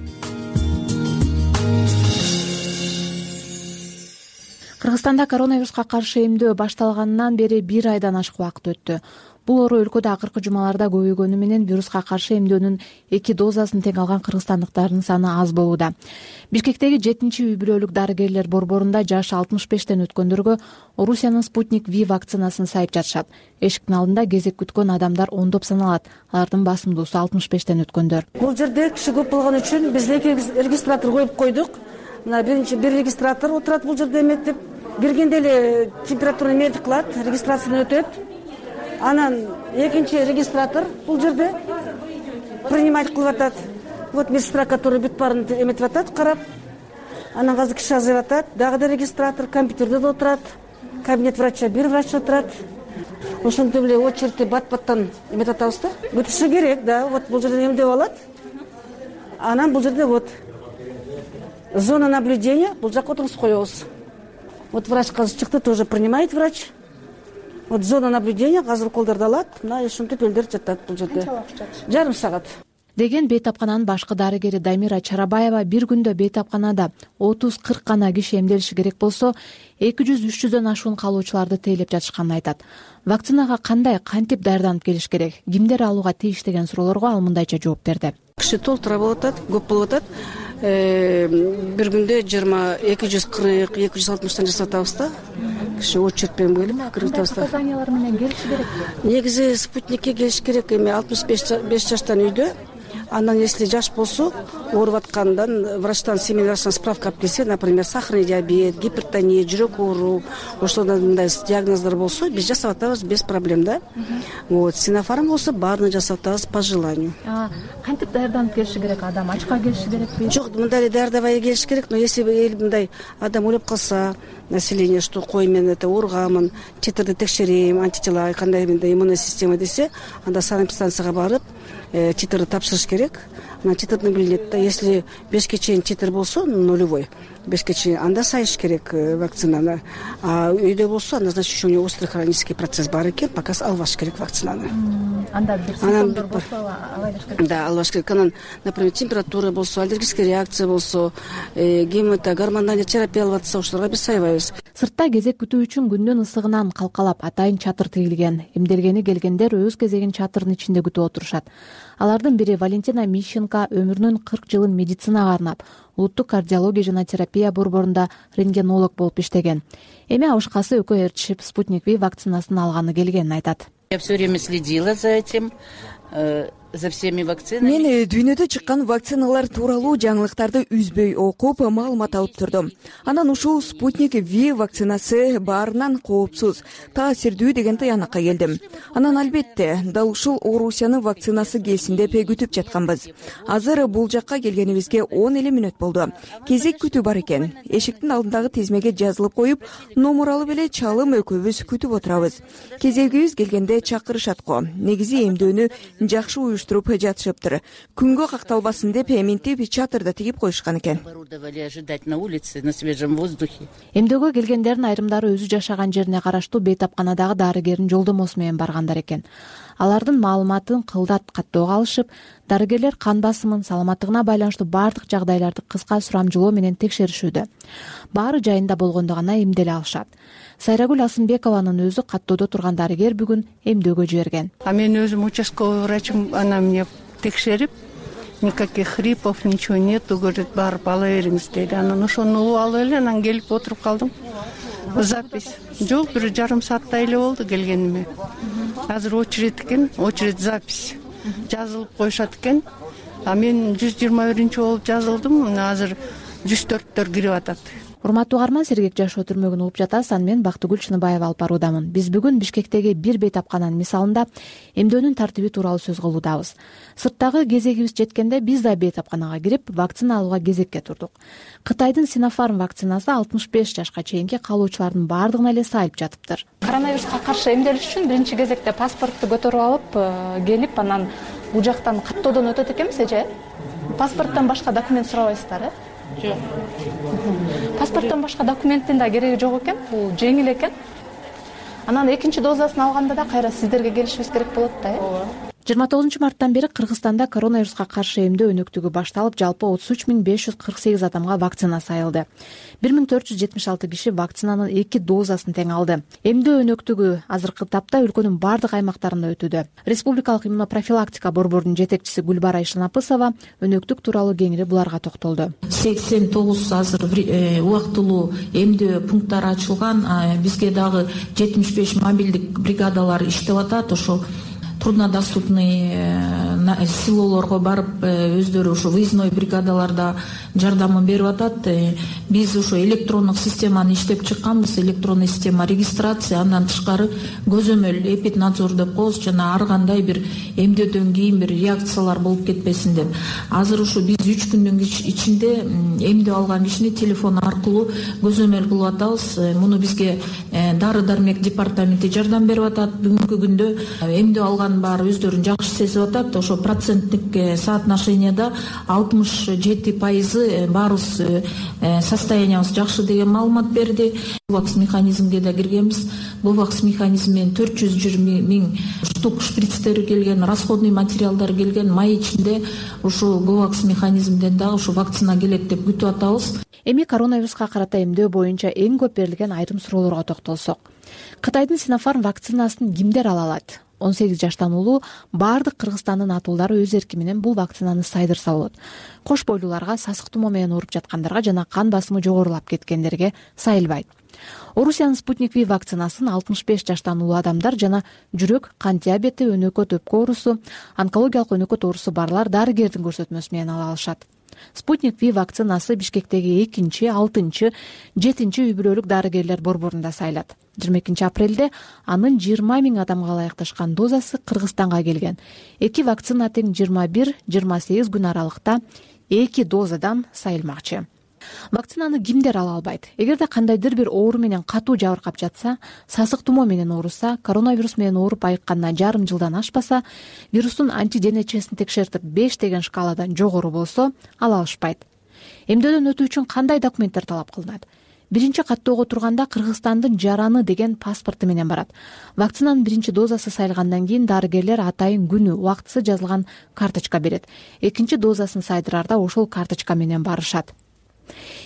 Кыргызстанда коронавируска каршы эмдөө башталганынан бери 1 айдан ашык убакыт өттү. Бул оору өлкөдө акыркы жумаларда көбөйгөнү менен вируска каршы эмдөөнүн 2 дозасын тең алган кыргызстандыктардын саны аз болууда. Бишкектеги 7-үй бүлөлүк дарыгерлер борборунда жашы 65тен өткөндөргө Орусиянын Спутник V вакцинасын сайып жатышат. Эшиктин алдында кезек күткөн адамдар ондоп саналат. Алардын басымдуусу 65тен өткөндөр. Бул жерде киши көп болгон үчүн биз 2 регистратор коюп койдук. Мына биринчи бир регистратор отурат бул жерде эметтип, бергенде эле температураны метр кылат, регистрацияны өтөт. Анан экинчи регистратор бул жерде принимать кылып атат. Вот медсестра, которая бүт баарын эметип атат, карап. Анан азыр киши азайып атат. Дагы да регистратор компьютерде да отурат. Кабинет врача бир врач отурат. Ошентип эле очередти бат-баттан эметип атабыз да. Бүтүшү керек, да. Вот бул жерден эмдеп алат. Анан бул жерде вот зона наблюдения, бул жакка отургузуп коебуз. Вот врач азыр чыкты, тоже принимает врач. Вот зона наблюдения азыр колдорду алат. Мына ушинтип элдер жатат бул жерде. Жарым саат. деген бейтапкананын башкы дарыгери Дамира Чарабаева бир күндө бейтапканада 30-40 гана киши эмделиши керек болсо 200-300дөн ашуун калуучуларды тейлеп жатышканын айтат. Вакцинага кандай, кантип даярданып келиш керек, кимдер алууга тийиш деген суроолорго ал мындайча жооп берди. Киши толтура болуп атат, көп болуп атат. Бир күндө 240-260тан жасап атабыз да. Киши очередь менен келип кирип атабыз. Показаниялар менен келиши керек. Негизи спутникке келиш керек. Эми 65 жаштан үйдө. Андан если жаш болсо, ооруп аткандан врачтан, семейный врачтан справка алып келсе, например, сахарный диабет, гипертония, жүрөк оору, ошондой мындай диагноздар болсо, биз жасап атабыз без проблем да. Вот, Sinopharm болсо баарын жасап атабыз по желанию. Кантип даярданып келиши керек адам? Ачка келиши керекпи? Жок, мындай даярдабай келиш керек, но если мындай адам ойлоп калса, население, что кой мен это ооругамын, титрди текшерейм, антитела кандай мындай иммунная система десе, анда санэпидстанцияга барып, титрди тапшырыш керек. Анан титрден билинет да. Если 5 чейин титр болсо, нулевой, 5 чейин, анда сайыш керек вакцинаны. А үйдө болсо, анда значит еще у него острый хронический процесс бар экен, пока албаш керек вакцинаны. Анда бир симптомдор болсо, албаш керек. Да, албаш керек. Анан, например, температура болсо, аллергическая реакция болсо, гормональный терапия алып атса, ошолорго биз сайбайбыз. Сыртта кезек күтүү үчүн күндүн ысыгынан калкалап атайын чатыр тигилген. Эмделгени келгендер өз кезегин чатырдын ичинде күтүп отурушат. Алардын бири Валентина Мищенко өмүрүнүн 40 жылын медицинага арнап, улуттук кардиология жана терапия борборунда рентгенолог болуп иштеген. Эми абышкасы экөө ээрчишип Спутник V вакцинасын алганы келгенин айтат. Я все время следила за этим, за всеми вакцинами. Мен дүйнөдө чыккан вакциналар тууралуу жаңылыктарды үзбөй окуп, маалымат алып турдум. Анан ушул Спутник V вакцинасы баарынан коопсуз, таасирдүү деген тыянакка келдим. Анан албетте, дал ушул Орусиянын вакцинасы келсин деп күтүп жатканбыз. Азыр бул жакка келгенибизге 10 эле мүнөт болду. Кезек күтүү бар экен. Эшиктин алдындагы тизмеге жазылып коюп, номер алып эле чалым экөөбүз күтүп отурабыз. Кезегибиз келгенде чакырышат го. Негизи эмдөөнү жакшы уюштуруп жатышыптыр. Күнгө какталбасын деп минтип чатырда тигип коюшкан экен. Эмдөөгө келгендердин айрымдары өзү жашаган жерине караштуу бейтапканадагы дарыгердин жолдомосу менен баргандар экен. Алардын маалыматын кылдат каттоого алышып, дарыгерлер кан басымын, саламаттыгына байланыштуу бардык жагдайларды кыска сурамжылоо менен текшеришүүдө. Баары жайында болгондо гана эмделе алышат. Сайрагүл Асымбекованын өзү каттоодо турган дарыгер бүгүн эмдөөгө жиберген. Мен өзүм участковый врачым, она мне текшерип, никаких хрипов, ничего нету, говорит, барып ала бериңиз дейт. Анан ошону алып эле, анан келип отуруп калдым. Запись. Жок, 1,5 сааттай эле болду келгениме. Азыр очередь экен, очередь запись. Жазылып коюшат экен. А мен 121 болуп жазылдым. Азыр 104төр кирип атат. Урматтуу угарман, Сергек жашоо түрмөгүн угуп жатасыз. Аны мен Бактыгүл Чыныбаева алып баруудамын. Биз бүгүн Бишкектеги бир бейтапкананын мисалында эмдөөнүн тартиби тууралуу сөз кылуудабыз. Сырттагы кезегибиз жеткенде биз да бейтапканага кирип, вакцина алууга кезекке турдук. Кытайдын Sinopharm вакцинасы 65 жашка чейинки калуучулардын баардыгына эле сайылып жатыптыр. Коронавируска каршы эмделиш үчүн биринчи кезекте паспортту көтөрүп алып, келип, анан бул жактан каттоодон өтөт экенбиз эже. Паспорттон башка документ сурабайсыздар, Жок. Паспорттон башка документтин да кереги жок экен, бул жеңил экен. Анан экинчи дозасын алганда да кайра сиздерге келишибиз керек болот да, 29 марттан бери Кыргызстанда коронавируска каршы эмдөө өнөктүгү башталып, жалпы 33.548 адамга вакцина сайылды. 1476 киши вакцинанын 2 дозасын тең алды. Эмдөө өнөктүгү азыркы тапта өлкөнүн бардык аймактарында өтүүдө. Республикалык иммунопрофилактика борборунун жетекчиси Гүлбара Ишанапысова өнөктүк тууралуу кеңири буларга токтолду. 89 азыр убактылуу эмдөө пункттары ачылган, бизге дагы 75 мобилдик бригадалар иштеп атат. Ошо труднодоступный селолорго барып, өздөрү ушу выездной бригадаларда жардамын берип атат. Биз ушу электрондук системаны иштеп чыкканбыз, электронный система регистрация, андан тышкары көзөмөл эпиднадзор деп коебуз, жана ар кандай бир эмдөөдөн кийин бир реакциялар болуп кетпесин деп. Азыр ушу биз 3 күндүн ичинде эмдөө алган кишини телефон аркылуу көзөмөл кылып атабыз. Муну бизге дары дармек департаменти жардам берип атат. Бүгүнкү күндө эмдөө алган баардыгын баары өздөрүн жакшы сезип атат. Ошо проценттик соотношенияда 67% баарыбыз состояниябыз жакшы деген маалымат берди. Говакс механизмге да киргенбиз. Говакс механизм менен 420 000 штук шприцтери келген, расходный материалдар келген. Май ичинде ушу Говакс механизмден дагы ушу вакцина келет деп күтүп атабыз. Эми коронавируска карата эмдөө боюнча эң көп берилген айрым суроолорго токтолсок. Кытайдын Sinopharm вакцинасын кимдер ала алат? 18 жаштан улуу баардык Кыргызстандын атуулдары өз эрки менен бул вакцинаны сайдырса болот. Кош бойлууларга, сасык тумоо менен ооруп жаткандарга жана кан басымы жогорулап кеткендерге сайылбайт. Орусиянын Спутник V вакцинасын 65 жаштан улуу адамдар жана жүрөк, кант диабети, өнөкөт өпкө оорусу, онкологиялык өнөкөт оорусу барлар дарыгердин көрсөтмөсү менен ала алышат. Спутник V вакцинасы Бишкектеги 2-6, 7 үй-бүлөлүк дарыгерлер борборунда сайылат. 22 апрелде анын 20 000 адамга ылайыкташкан дозасы Кыргызстанга келген. Эки вакцина тең 21-28 күн аралыкта 2 дозадан сайылмакчы. Вакцинаны кимдер ала албайт? Эгерде кандайдыр бир оору менен катуу жабыркап жатса, сасык тумоо менен ооруса, коронавирус менен ооруп айыкканына жарым жылдан ашпаса, вирустун антиденечесин текшертип 5 деген шкаладан жогору болсо, ала алышпайт. Эмдөөдөн өтүү үчүн кандай документтер талап кылынат? Биринчи каттоого турганда Кыргызстандын жараны деген паспорту менен барат. Вакцинанын биринчи дозасы сайылгандан кийин дарыгерлер атайын күнү, убактысы жазылган карточка берет. Экинчи дозасын сайдырарда ошол карточка менен барышат.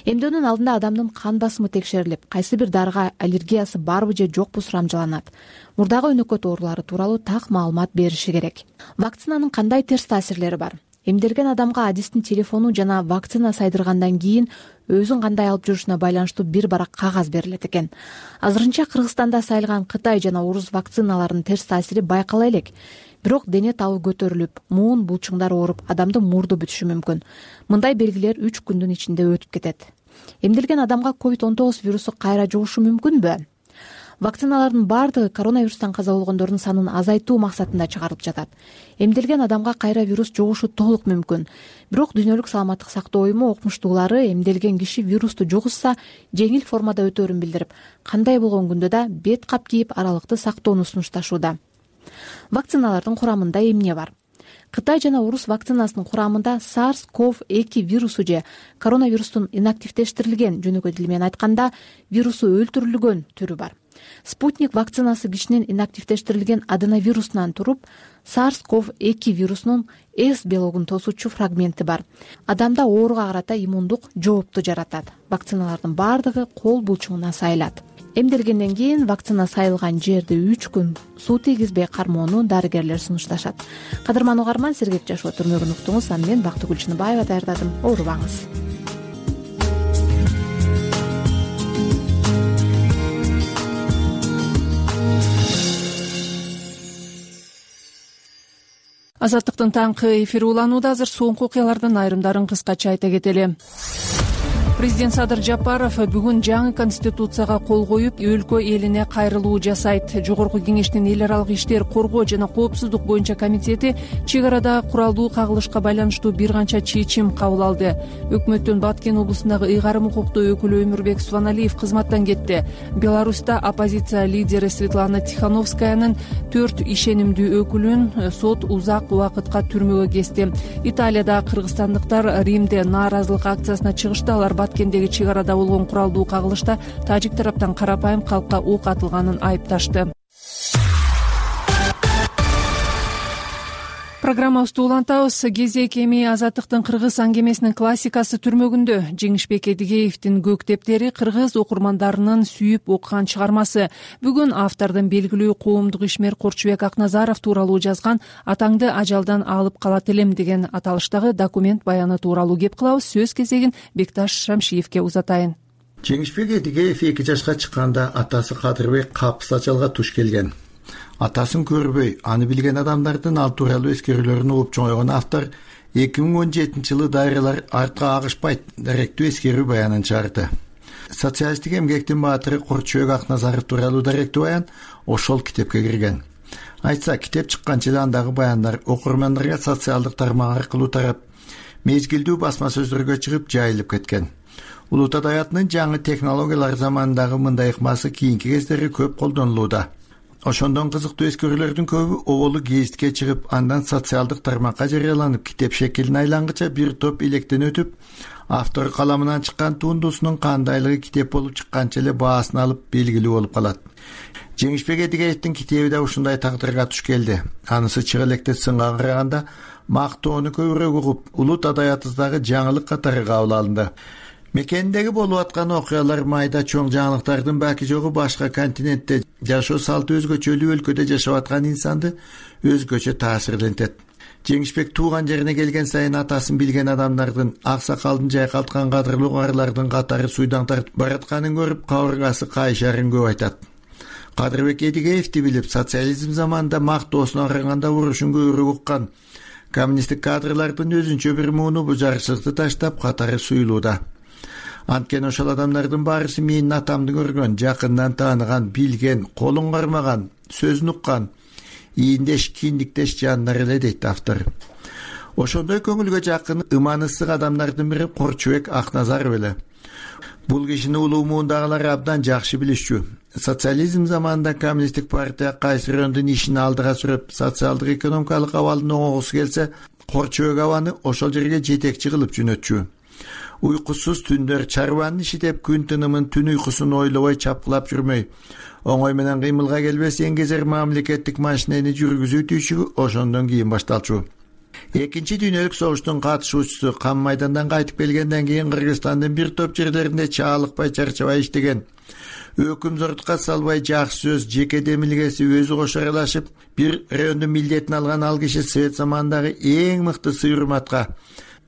Эмдөөнүн алдында адамдын кан басымы текшерилип, кайсы бир дарыга аллергиясы барбы же жокпу сурамжыланат. Мурдагы өнөкөт оорулары тууралуу так маалымат бериши керек. Вакцинанын кандай терс таасирлери бар? Эмделген адамга адистин телефону жана вакцина сайдыргандан кийин өзүн кандай алып жүрүшүнө байланыштуу бир барак кагаз берилет экен. Азырынча Кыргызстанда сайылган Кытай жана орус вакциналарынын терс таасири байкала элек. Бирок дене табы көтөрүлүп, муун булчуңдар ооруп, адамдын мурду бүтүшү мүмкүн. Мындай белгилер 3 күндүн ичинде өтүп кетет. Эмделген адамга COVID-19 вирусу кайра жугушу мүмкүнбү? Вакциналардын баардыгы коронавирустан каза болгондордун санын азайтуу максатында чыгарылып жатат. Эмделген адамга кайра вирус жугушу толук мүмкүн. Бирок Дүйнөлүк саламаттык сактоо уюму окумуштуулары эмделген киши вирусту жугузса, жеңил формада өтөөрүн билдирип, кандай болгон күндө да бет кап кийип аралыкты сактоону сунушташууда. Вакциналардын курамында эмне бар? Кытай жана орус вакцинасынын курамында SARS-CoV-2 вирусу же коронавирустун инактивдештирилген, жөнөкөй тил менен айтканда, вирусу өлтүрүлгөн түрү бар. Спутник вакцинасы кишинин инактивдештирилген аденовирусунан туруп, SARS-CoV-2 вирусунун S белогун тосуучу фрагменти бар. Адамда ооруга карата иммундук жоопту жаратат. Вакциналардын баардыгы кол булчуңуна сайылат. Эмделгенден кийин вакцина сайылган жерди 3 күн суу тийгизбей кармоону дарыгерлер сунушташат. Кадырман угарман, сергек жашоо түрмөгүн уктуңуз. Мен Бактыгүл Чыныбаева даярдадым. Оорубаңыз. Азаттыктын таңкы эфири уланууда. Азыр соңку окуялардын айрымдарын кыскача айта кетели. Президент Садыр Жапаров бүгүн жаңы конституцияга кол коюп, өлкө элине кайрылуу жасайт. Жогорку кеңештин эл аралык иштер, коргоо жана коопсуздук боюнча комитети чек арада куралдуу кагылышка байланыштуу бир канча чечим кабыл алды. Өкмөттүн Баткен облусундагы ыйгарым укуктуу өкүлү Өмүрбек Субаналиев кызматтан кетти. Беларуста оппозиция лидери Светлана Тихановскаянын 4 ишенимдүү өкүлүн сот узак убакытка түрмөгө кести. Италияда кыргызстандыктар Римде нааразылык акциясына чыгышты. Алар Баткендеги чек арада болгон куралдуу кагылышта тажик тараптан карапайым калкка ок атылганын айыпташты. Программабызды улантабыз. Кезек эми Азаттыктын кыргыз аңгемесинин классикасы түрмөгүндө. Жеңишбек Эдигеевдин Көктептери кыргыз окурмандарынын сүйүп окуган чыгармасы. Бүгүн автордун белгилүү коомдук ишмер Корчубек Акназаров тууралуу жазган "Атаңды ажалдан алып калат элем" деген аталыштагы документ баяны тууралуу кеп кылабыз. Сөз кезегин Бекташ Шамшиевке узатайын. Жеңишбек Эдигеев 2 жашка чыкканда атасы Кадырбек капыс ачалга туш келген. Атасын көрбөй, аны билген адамдардын ал тууралуу эскерүүлөрүн угуп чоңойгон автор 2017-жылы дайралар артка агышпайт даректүү эскерүү баянын чыгарды. Социалисттик эмгектин баатыры Корчубек Акназаров тууралуу даректүү баян ошол китепке кирген. Айтса, китеп чыккан жылы андагы баяндар окурмандарга социалдык тармак аркылуу тарап, мезгилдүү басма сөздөргө чыгып жайылып кеткен. Улут адабиятынын жаңы технологиялар заманындагы мындай ыкмасы кийинки кездери көп колдонулууда. Ошондон кызыктуу эскерүүлөрдүн көбү оболу гезитке чыгып, андан социалдык тармакка жарыяланып, китеп шекилине айлангыча бир топ илектен өтүп, автор каламынан чыккан тундусунун кандайлыгы китеп болуп чыкканча эле баасын алып белгилүү болуп калат. Жеңишбек Эдигеевдин китеби да ушундай тагдырга туш келди. Анысы чыга электе сынга караганда мактоону көбүрөөк угуп, улут адаятыбыздагы жаңылык катары кабыл алынды. Мекендеги болуп аткан окуялар майда чоң жаңылыктардын баки жогу башка континентте жашоо салты өзгөчөлүү өлкөдө жашап аткан инсанды өзгөчө таасирлентет. Жеңишбек тууган жерине келген сайын атасын билген адамдардын, аксакалдын жайкалткан кадырлуу каарылардын катары суйдан тартып баратканын көрүп, кабыргасы кайшарын көп айтат. Кадырбек Эдигеевди билип, социализм заманында мактоосуна караганда урушун көбүрөөк уккан коммунисттик кадрлардын өзүнчө бир мууну бу жарчылыкты таштап катары суюлууда. Анткени ошол адамдардын баарысы менин атамды көргөн, жакындан тааныган, билген, колун кармаган, сөзүн уккан, ийиндеш, киндиктеш жандар эле дейт автор. Ошондой көңүлгө жакын, ыман ысык адамдардын бири Корчубек Акназаров эле. Бул кишини улуу муундагылар абдан жакшы билишчү. Социализм заманында коммунисттик партия кайсы райондун ишин алдыга сүрөп, социалдык экономикалык абалын оңогусу келсе, Корчубек абаны ошол жерге жетекчи кылып жөнөтчү. Уйкусуз түндөр, чарбанын иши деп күн тынымын, түн уйкусун ойлобой чапкылап жүрмөй, оңой менен кыймылга келбес эңгезер мамлекеттик машинени жүргүзүү түйшүгү ошондон кийин башталчу. Экинчи дүйнөлүк согуштун катышуучусу, кам майдандан кайтып келгенден кийин Кыргызстандын бир топ жерлеринде чаалыкпай, чарчабай иштеген, өкүм зортукка салбай жакшы сөз, жеке демилгеси өзү кошо аралашып, бир райондун милдетин алган ал киши Совет заманындагы эң мыкты сый-урматка,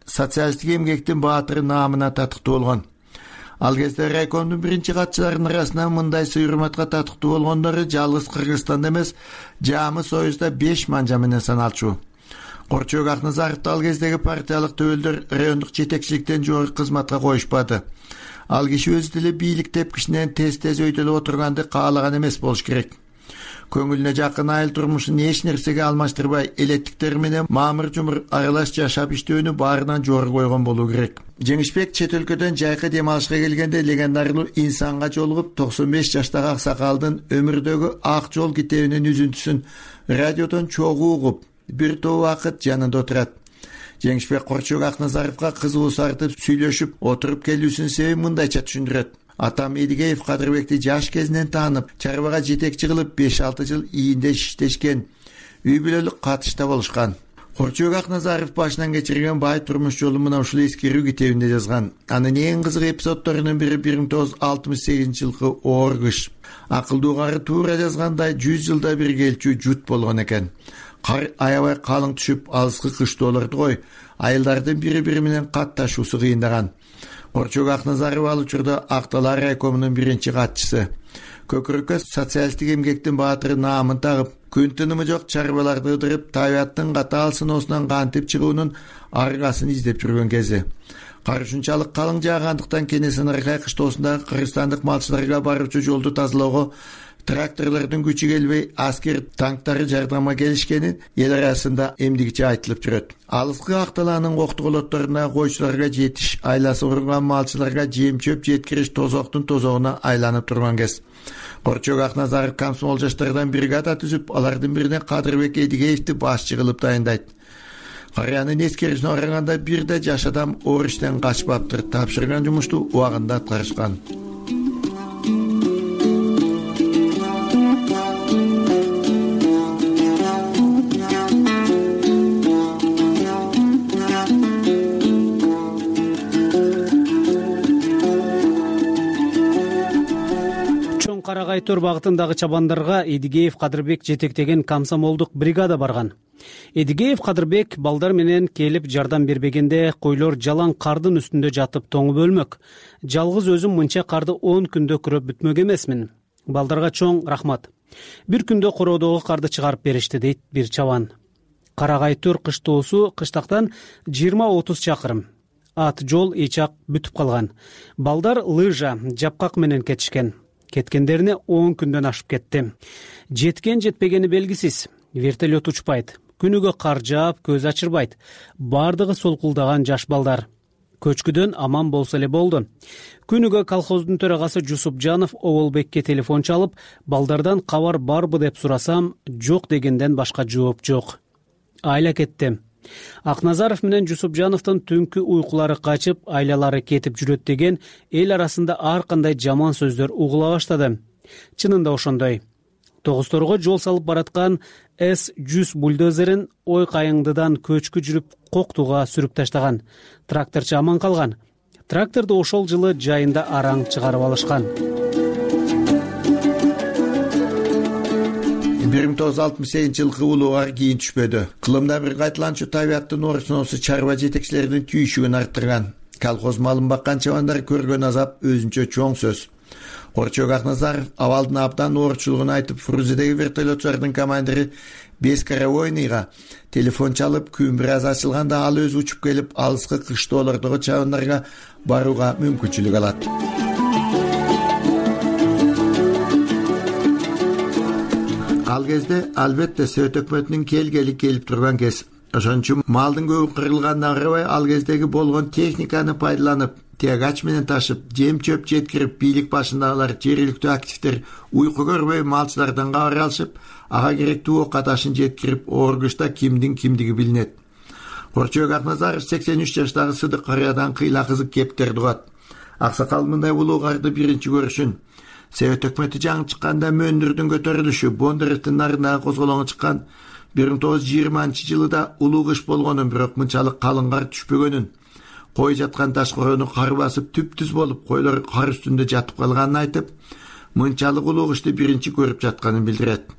социалисттик эмгектин баатыры наамына татыктуу болгон. Ал кезде райкомдун биринчи катчыларынын арасынан мындай сый-урматка татыктуу болгондору жалгыз Кыргызстанда эмес, Жамы Союзда 5 манжа менен саналчу. Корчубек Акназаровду ал кездеги партиялык төбөлдөр райондук жетекчиликтен жогорку кызматка коюшпады. Ал киши өзү деле бийлик тепкичинен тез өйдөлүп отурганды каалаган эмес болуш керек. Көңүлүнө жакын айыл турмушун эч нерсеге алмаштырбай, элеттиктери менен маамыр-жумур аралаш жашап иштөөнү баарынан жогору койгон болуу керек. Жеңишбек чет өлкөдөн жайкы дем алышка келгенде легендарлуу инсанга жолугуп, 95 жаштагы аксакалдын өмүрдөгү Ак жол китебинин үзүнтүсүн радиодон чогуу угуп, бир топ убакыт жанында отурат. Жеңишбек Корчубек Акназаровго кызуу сартып сүйлөшүп отуруп келүүсүнүн себебин мындайча түшүндүрөт. Атам Эдигеев Кадырбекти жаш кезинен таанып, чарбага жетекчи кылып 5-6 жыл ийинде иштешкен, үй бүлөлүк катышта болушкан. Корчубек Акназаров башынан кечирген бай турмуш жолу мына ушул эскерүү китебинде жазган. Анын эң кызык эпизоддорунун бири 1968 жылкы оор кыш. Акылдуу кары туура жазгандай 100 жылда бир келчү жут болгон экен. Кар аябай калың түшүп, алыскы кыштоолорду кой, айылдардын бири-бири менен катташуусу кыйындаган. Корчубек Акназаров ал учурда Акталар райкомунун биринчи катчысы. Көкүрөккө социалисттик эмгектин баатыры наамын тагып, күн тынымы жок чарбаларды ыдырып, табияттын катаал сыноосунан кантип чыгуунун аргасын издеп жүргөн кези. Кар ушунчалык калың жаагандыктан Кенесары кыштоосундагы кыргызстандык малчыларга баруучу жолду тазалоого тракторлордун күчү келбей, аскер танктары жардамга келишкени эл арасында эмдигиче айтылып жүрөт. Алыскы Акталаанын коктуголотторуна койчуларга жетиш, айласы курган малчыларга жем-чөп жеткириш тозоктун тозогуна айланып турган кез. Корчубек Акназаров комсомол жаштардан бригада түзүп, алардын бирине Кадырбек Эдигеевди башчы кылып дайындайт. Карыянын эскерүүсүнө караганда бир да жаш адам оор иштен качпаптыр, тапшырган жумушту убагында аткарышкан. Карагай төр багытындагы чабандарга Эдигеев Кадырбек жетектеген комсомолдук бригада барган. Эдигеев Кадырбек балдар менен келип жардам бербегенде койлор жалаң кардын үстүндө жатып тоңуп өлмөк. Жалгыз өзүм мынча карды 10 күндө күрөп бүтмөк эмесмин. Балдарга чоң рахмат. Бир күндө короодогу карды чыгарып беришти, дейт бир чабан. Карагай төр кыштоосу кыштактан 20-30 чакырым. Ат жол эчак бүтүп калган. Балдар лыжа, жапкак менен кетишкен. Кеткендерине 10 күндөн ашып кетти. Жеткен жетпегени белгисиз. Вертолет учпайт. Күнүгө кар жаап, көз ачырбайт. Бардыгы солкулдаган жаш балдар. көчкүдөн аман болсо эле болду. Күнүгө колхоздун төрагасы Жусупжанов Оболбекке телефон чалып, балдардан кабар барбы деп сурасам, жок дегенден башка жооп жок. Айла кетти. Акназаров менен Жусупжановдун түнкү уйкулары качып, айлалары кетип жүрөт деген эл арасында ар кандай жаман сөздөр угула баштады. Чынында ошондой. Тогусторго жол салып бараткан С-100 бульдозерин ой кайыңдыдан көчкү жүрүп коктуга сүрүп таштаган. Тракторчу аман калган. Тракторду ошол жылы жайында араң чыгарып алышкан. 1968 жылкы улууга кийин түшпөдү. Кылымда бир кайталанчу табияттын орусунусу чарба жетекчилеринин түйүшүгүн арттырган. Колхоз малын баккан чабандар көргөн азап өзүнчө чоң сөз. Орчок Акназаров абалдын абдан оорчулугун айтып, Фрузидеги вертолетчулардын командири Бескаравойныйга телефон чалып, күн бир аз ачылганда ал өзү учуп келип, алыскы кыштоолордогу чабандарга барууга мүмкүнчүлүк алат. Ал кезде албетте Совет өкмөтүнүн келгели келип турган кез. Ошон үчүн малдын көбү кырылганына карабай, ал кездеги болгон техниканы пайдаланып, тягач менен ташып, жем-чөп жеткирип, бийлик башындагылар, жергиликтүү активдер уйку көрбөй малчылардан кабар алышып, ага керектүү ока ташын жеткирип, оргушта кимдин кимдиги билинет. Орчок Акназаров 83 жаштагы Сыдык карыядан кыйла кызык кептерди угат. Аксакал мындай улуугарды биринчи көрүшүн Совет өкмөтү жаңы чыкканда Мөндүрдүн көтөрүлүшү, Бондаревдин нарындагы козголоңу чыккан 1920-жылыда улуу кыш болгонун, бирок мынчалык калың кар түшпөгөнүн, кой жаткан таш короону кар басып түп-түз болуп, койлор кар үстүндө жатып калганын айтып, мынчалык улуу кышты биринчи көрүп жатканын билдирет.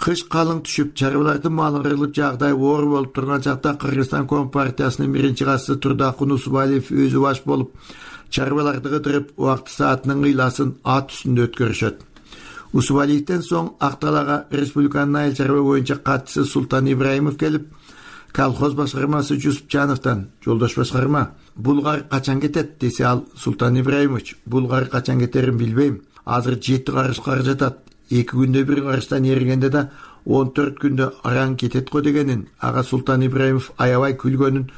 Кыш калың түшүп, чарбалардын малы кырылып, жагдай оор болуп турган чакта Кыргызстан Компартиясынын биринчи катчысы Турдакун Усубалиев өзү баш болуп, чарбаларды кыдырып, убакты саатынын кыйласын ат үстүндө өткөрүшөт. Усубалиевден соң Акталага республиканын айыл чарба боюнча катчысы Султан Ибраимов келип, колхоз башкармасы Жусупжановдон, жолдош башкарма, булгар качан кетет десе, ал Султан Ибраимович, булгар качан кетерин билбейм. Азыр 7 карыш кар жатат. 2 күндө бир карыштан эригенде да 14 күндө араң кетет го дегенин ага Султан Ибраимов аябай күлгөнүн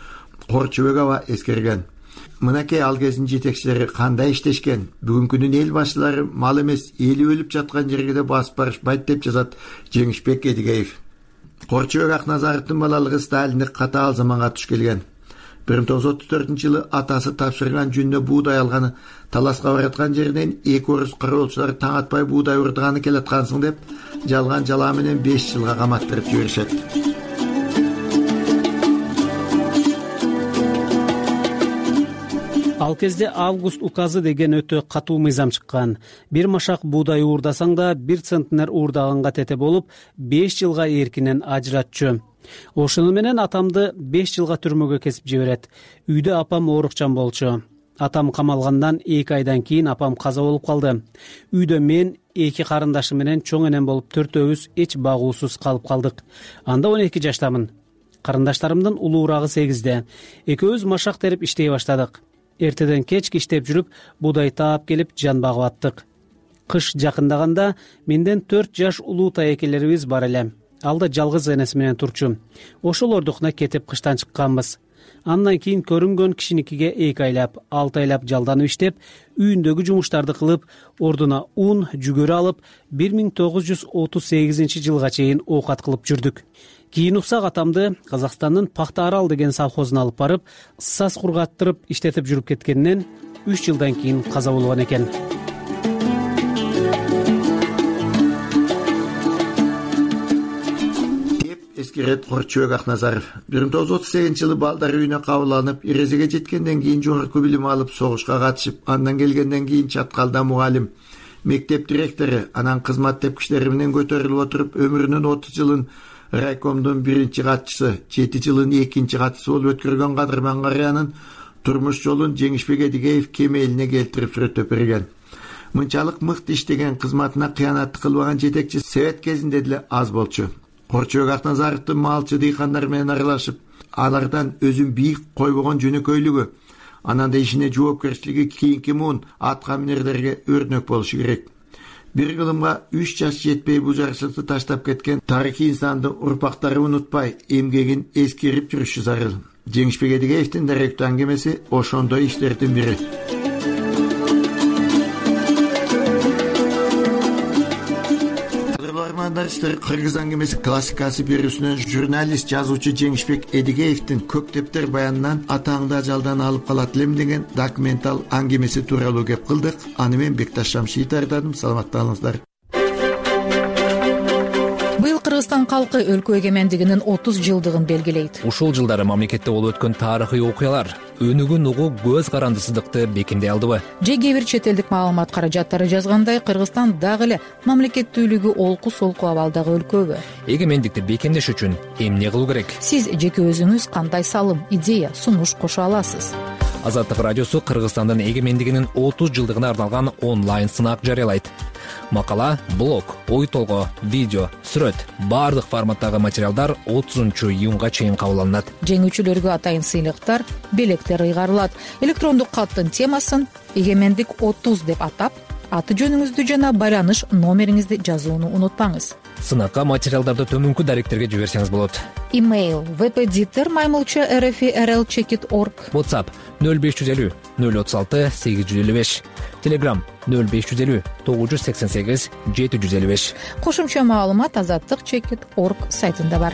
Корчобек аба эскерген. Мынакей ал кездин жетекчилери кандай иштешкен. Бүгүнкүнүн эл башчылары мал эмес, эли өлүп жаткан жерге да басып барышпайт деп жазат Жеңишбек Эдигеев. Корчобек Акназаровдун балалыгы Сталиндик катаал заманга туш келген. 1934-жылы атасы тапшырган жөнүнө буудай алганы, таласка бараткан жеринен 2 орус кароолчулар таң атпай буудай урдаганы келаткансың деп, жалган жалаа менен 5 жылга каматтырып жиберишет. Ал кезде август указы деген өтө катуу мыйзам чыккан. Бир машак буудай уурдасаң да 1 центнер уурдаганга тете болуп, 5 жылга эркинен ажыратчу. Ошону менен атамды 5 жылга түрмөгө кесип жиберет. Үйдө апам оорукчан болчу. Атам камалгандан 2 айдан кийин апам каза болуп калды. Үйдө мен 2 карындашым менен чоң энем болуп 4-өөбүз эч багуусуз калып калдык. Анда 12 жаштамын. Карындаштарымдын улуурагы 8-де. Экөөбүз машак терип иштей баштадык. Эртеден кечке иштеп жүрүп, буудай таап келип жан багып аттык. Кыш жакындаганда менден 4 жаш улуу таекелерибиз бар эле. Ал да жалгыз энеси менен турчу. Ошолордукуна кетип кыштан чыкканбыз. Андан кийин көрүнгөн кишиникиге 2 айлап, 6 айлап жалданып иштеп, үйүндөгү жумуштарды кылып, ордуна ун, жүгөрү алып, 1938 жылга чейин оокат кылып жүрдүк. Кийин уксак атамды Казакстандын Пахта Арал деген совхозуна алып барып, саз кургаттырып иштетип жүрүп кеткенинен 3 жылдан кийин каза болгон экен. Эскерет Корчобек Акназаров 1938-жылы балдар үйүнө кабыл алынып, эрезеге жеткенден кийин жогорку билим алып, согушка катышып, андан келгенден кийин Чаткалда мугалим, мектеп директору, анан кызмат тепкичтери менен көтөрүлүп отуруп, өмүрүнүн 30 жылын райкомдун 1-чи катчысы, 7 жылын 2-чи катчысы болуп өткөргөн Кадырман Карыянын турмуш жолун Жеңишбек Эдигеев кемелине келтирип сүрөттөп берген. Мынчалык мыкты иштеген, кызматына кыянат кылбаган жетекчи Совет кезинде деле аз болчу. Корчобек Акназаровдун малчы дыйкандар менен аралашып, алардан өзүн бийик койбогон жөнөкөйлүгү, анан да ишине жоопкерчилиги кийинки муун атка минерлерге өрнөк болушу керек. Бир кылымга 3 жаш жетпей бул жарчылыкты таштап кеткен тарыхый инсандын урпактары унутпай, эмгегин эскерип жүрүшү зарыл. Жеңишбек Эдигеевдин даректүү аңгемеси ошондой иштердин бири. Кыргыз аңгемеси классикасы берүүсүнөн журналист жазуучу Жеңишбек Эдигеевдин көктептер баянынан атаңды ажалдан алып калат элем деген документал аңгемеси тууралуу кеп кылдык. Аны мен Бекташ Шамшиев даярдадым. Саламатталыңыздар. Быйыл Кыргызстан калкы өлкө эгемендигинин 30 жылдыгын белгилейт. Ушул жылдары мамлекетте болуп өткөн тарыхый окуялар өнүгүн угуу көз карандысыздыкты бекемдей алдыбы? Же кээ бир чет элдик маалымат каражаттары жазгандай, Кыргызстан дагы эле мамлекеттүүлүгү олку солку абалдагы өлкөбү? Эгемендикти бекемдеш үчүн эмне кылуу керек? Сиз жеке өзүңүз кандай салым, идея, сунуш кошо аласыз? Азаттык радиосу Кыргызстандын эгемендигинин 30 жылдыгына арналган онлайн сынак жарыялайт. Макала, блог, ой толгоо, видео, сүрөт баардык форматтагы материалдар 30-июнга чейин кабыл алынат. Жеңүүчүлөргө атайын сыйлыктар, белектер ыйгарылат. Электрондук каттын темасын эгемендик 30 деп атап, аты жөнүңүздү жана байланыш номериңизди жазууну унутпаңыз. Сынакка материалдарды төмөнкү даректерге жиберсеңиз болот. Имейл vpditer@rl-checkit.org. WhatsApp 0550 036 855. Telegram 0550 988 755. Кошумча маалымат azattik.checkit.org сайтында бар.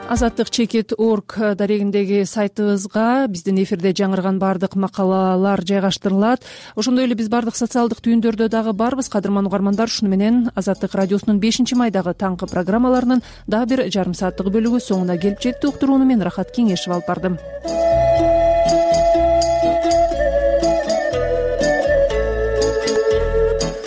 azattik.checkit.org дарегиндеги сайтыбызга биздин эфирде жаңырган баардык макалалар жайгаштырылат. Ошондой эле биз баардык социалдык түйүндөрдө дагы барбыз. Кадырман угармандар, ушуну менен Азаттык радиосунун 5-майдагы таңкы программаларынын дагы бир жарым сааттык бөлүгү соңуна келип жетти. Уктурууну мен Рахат Кеңешев алып бардым.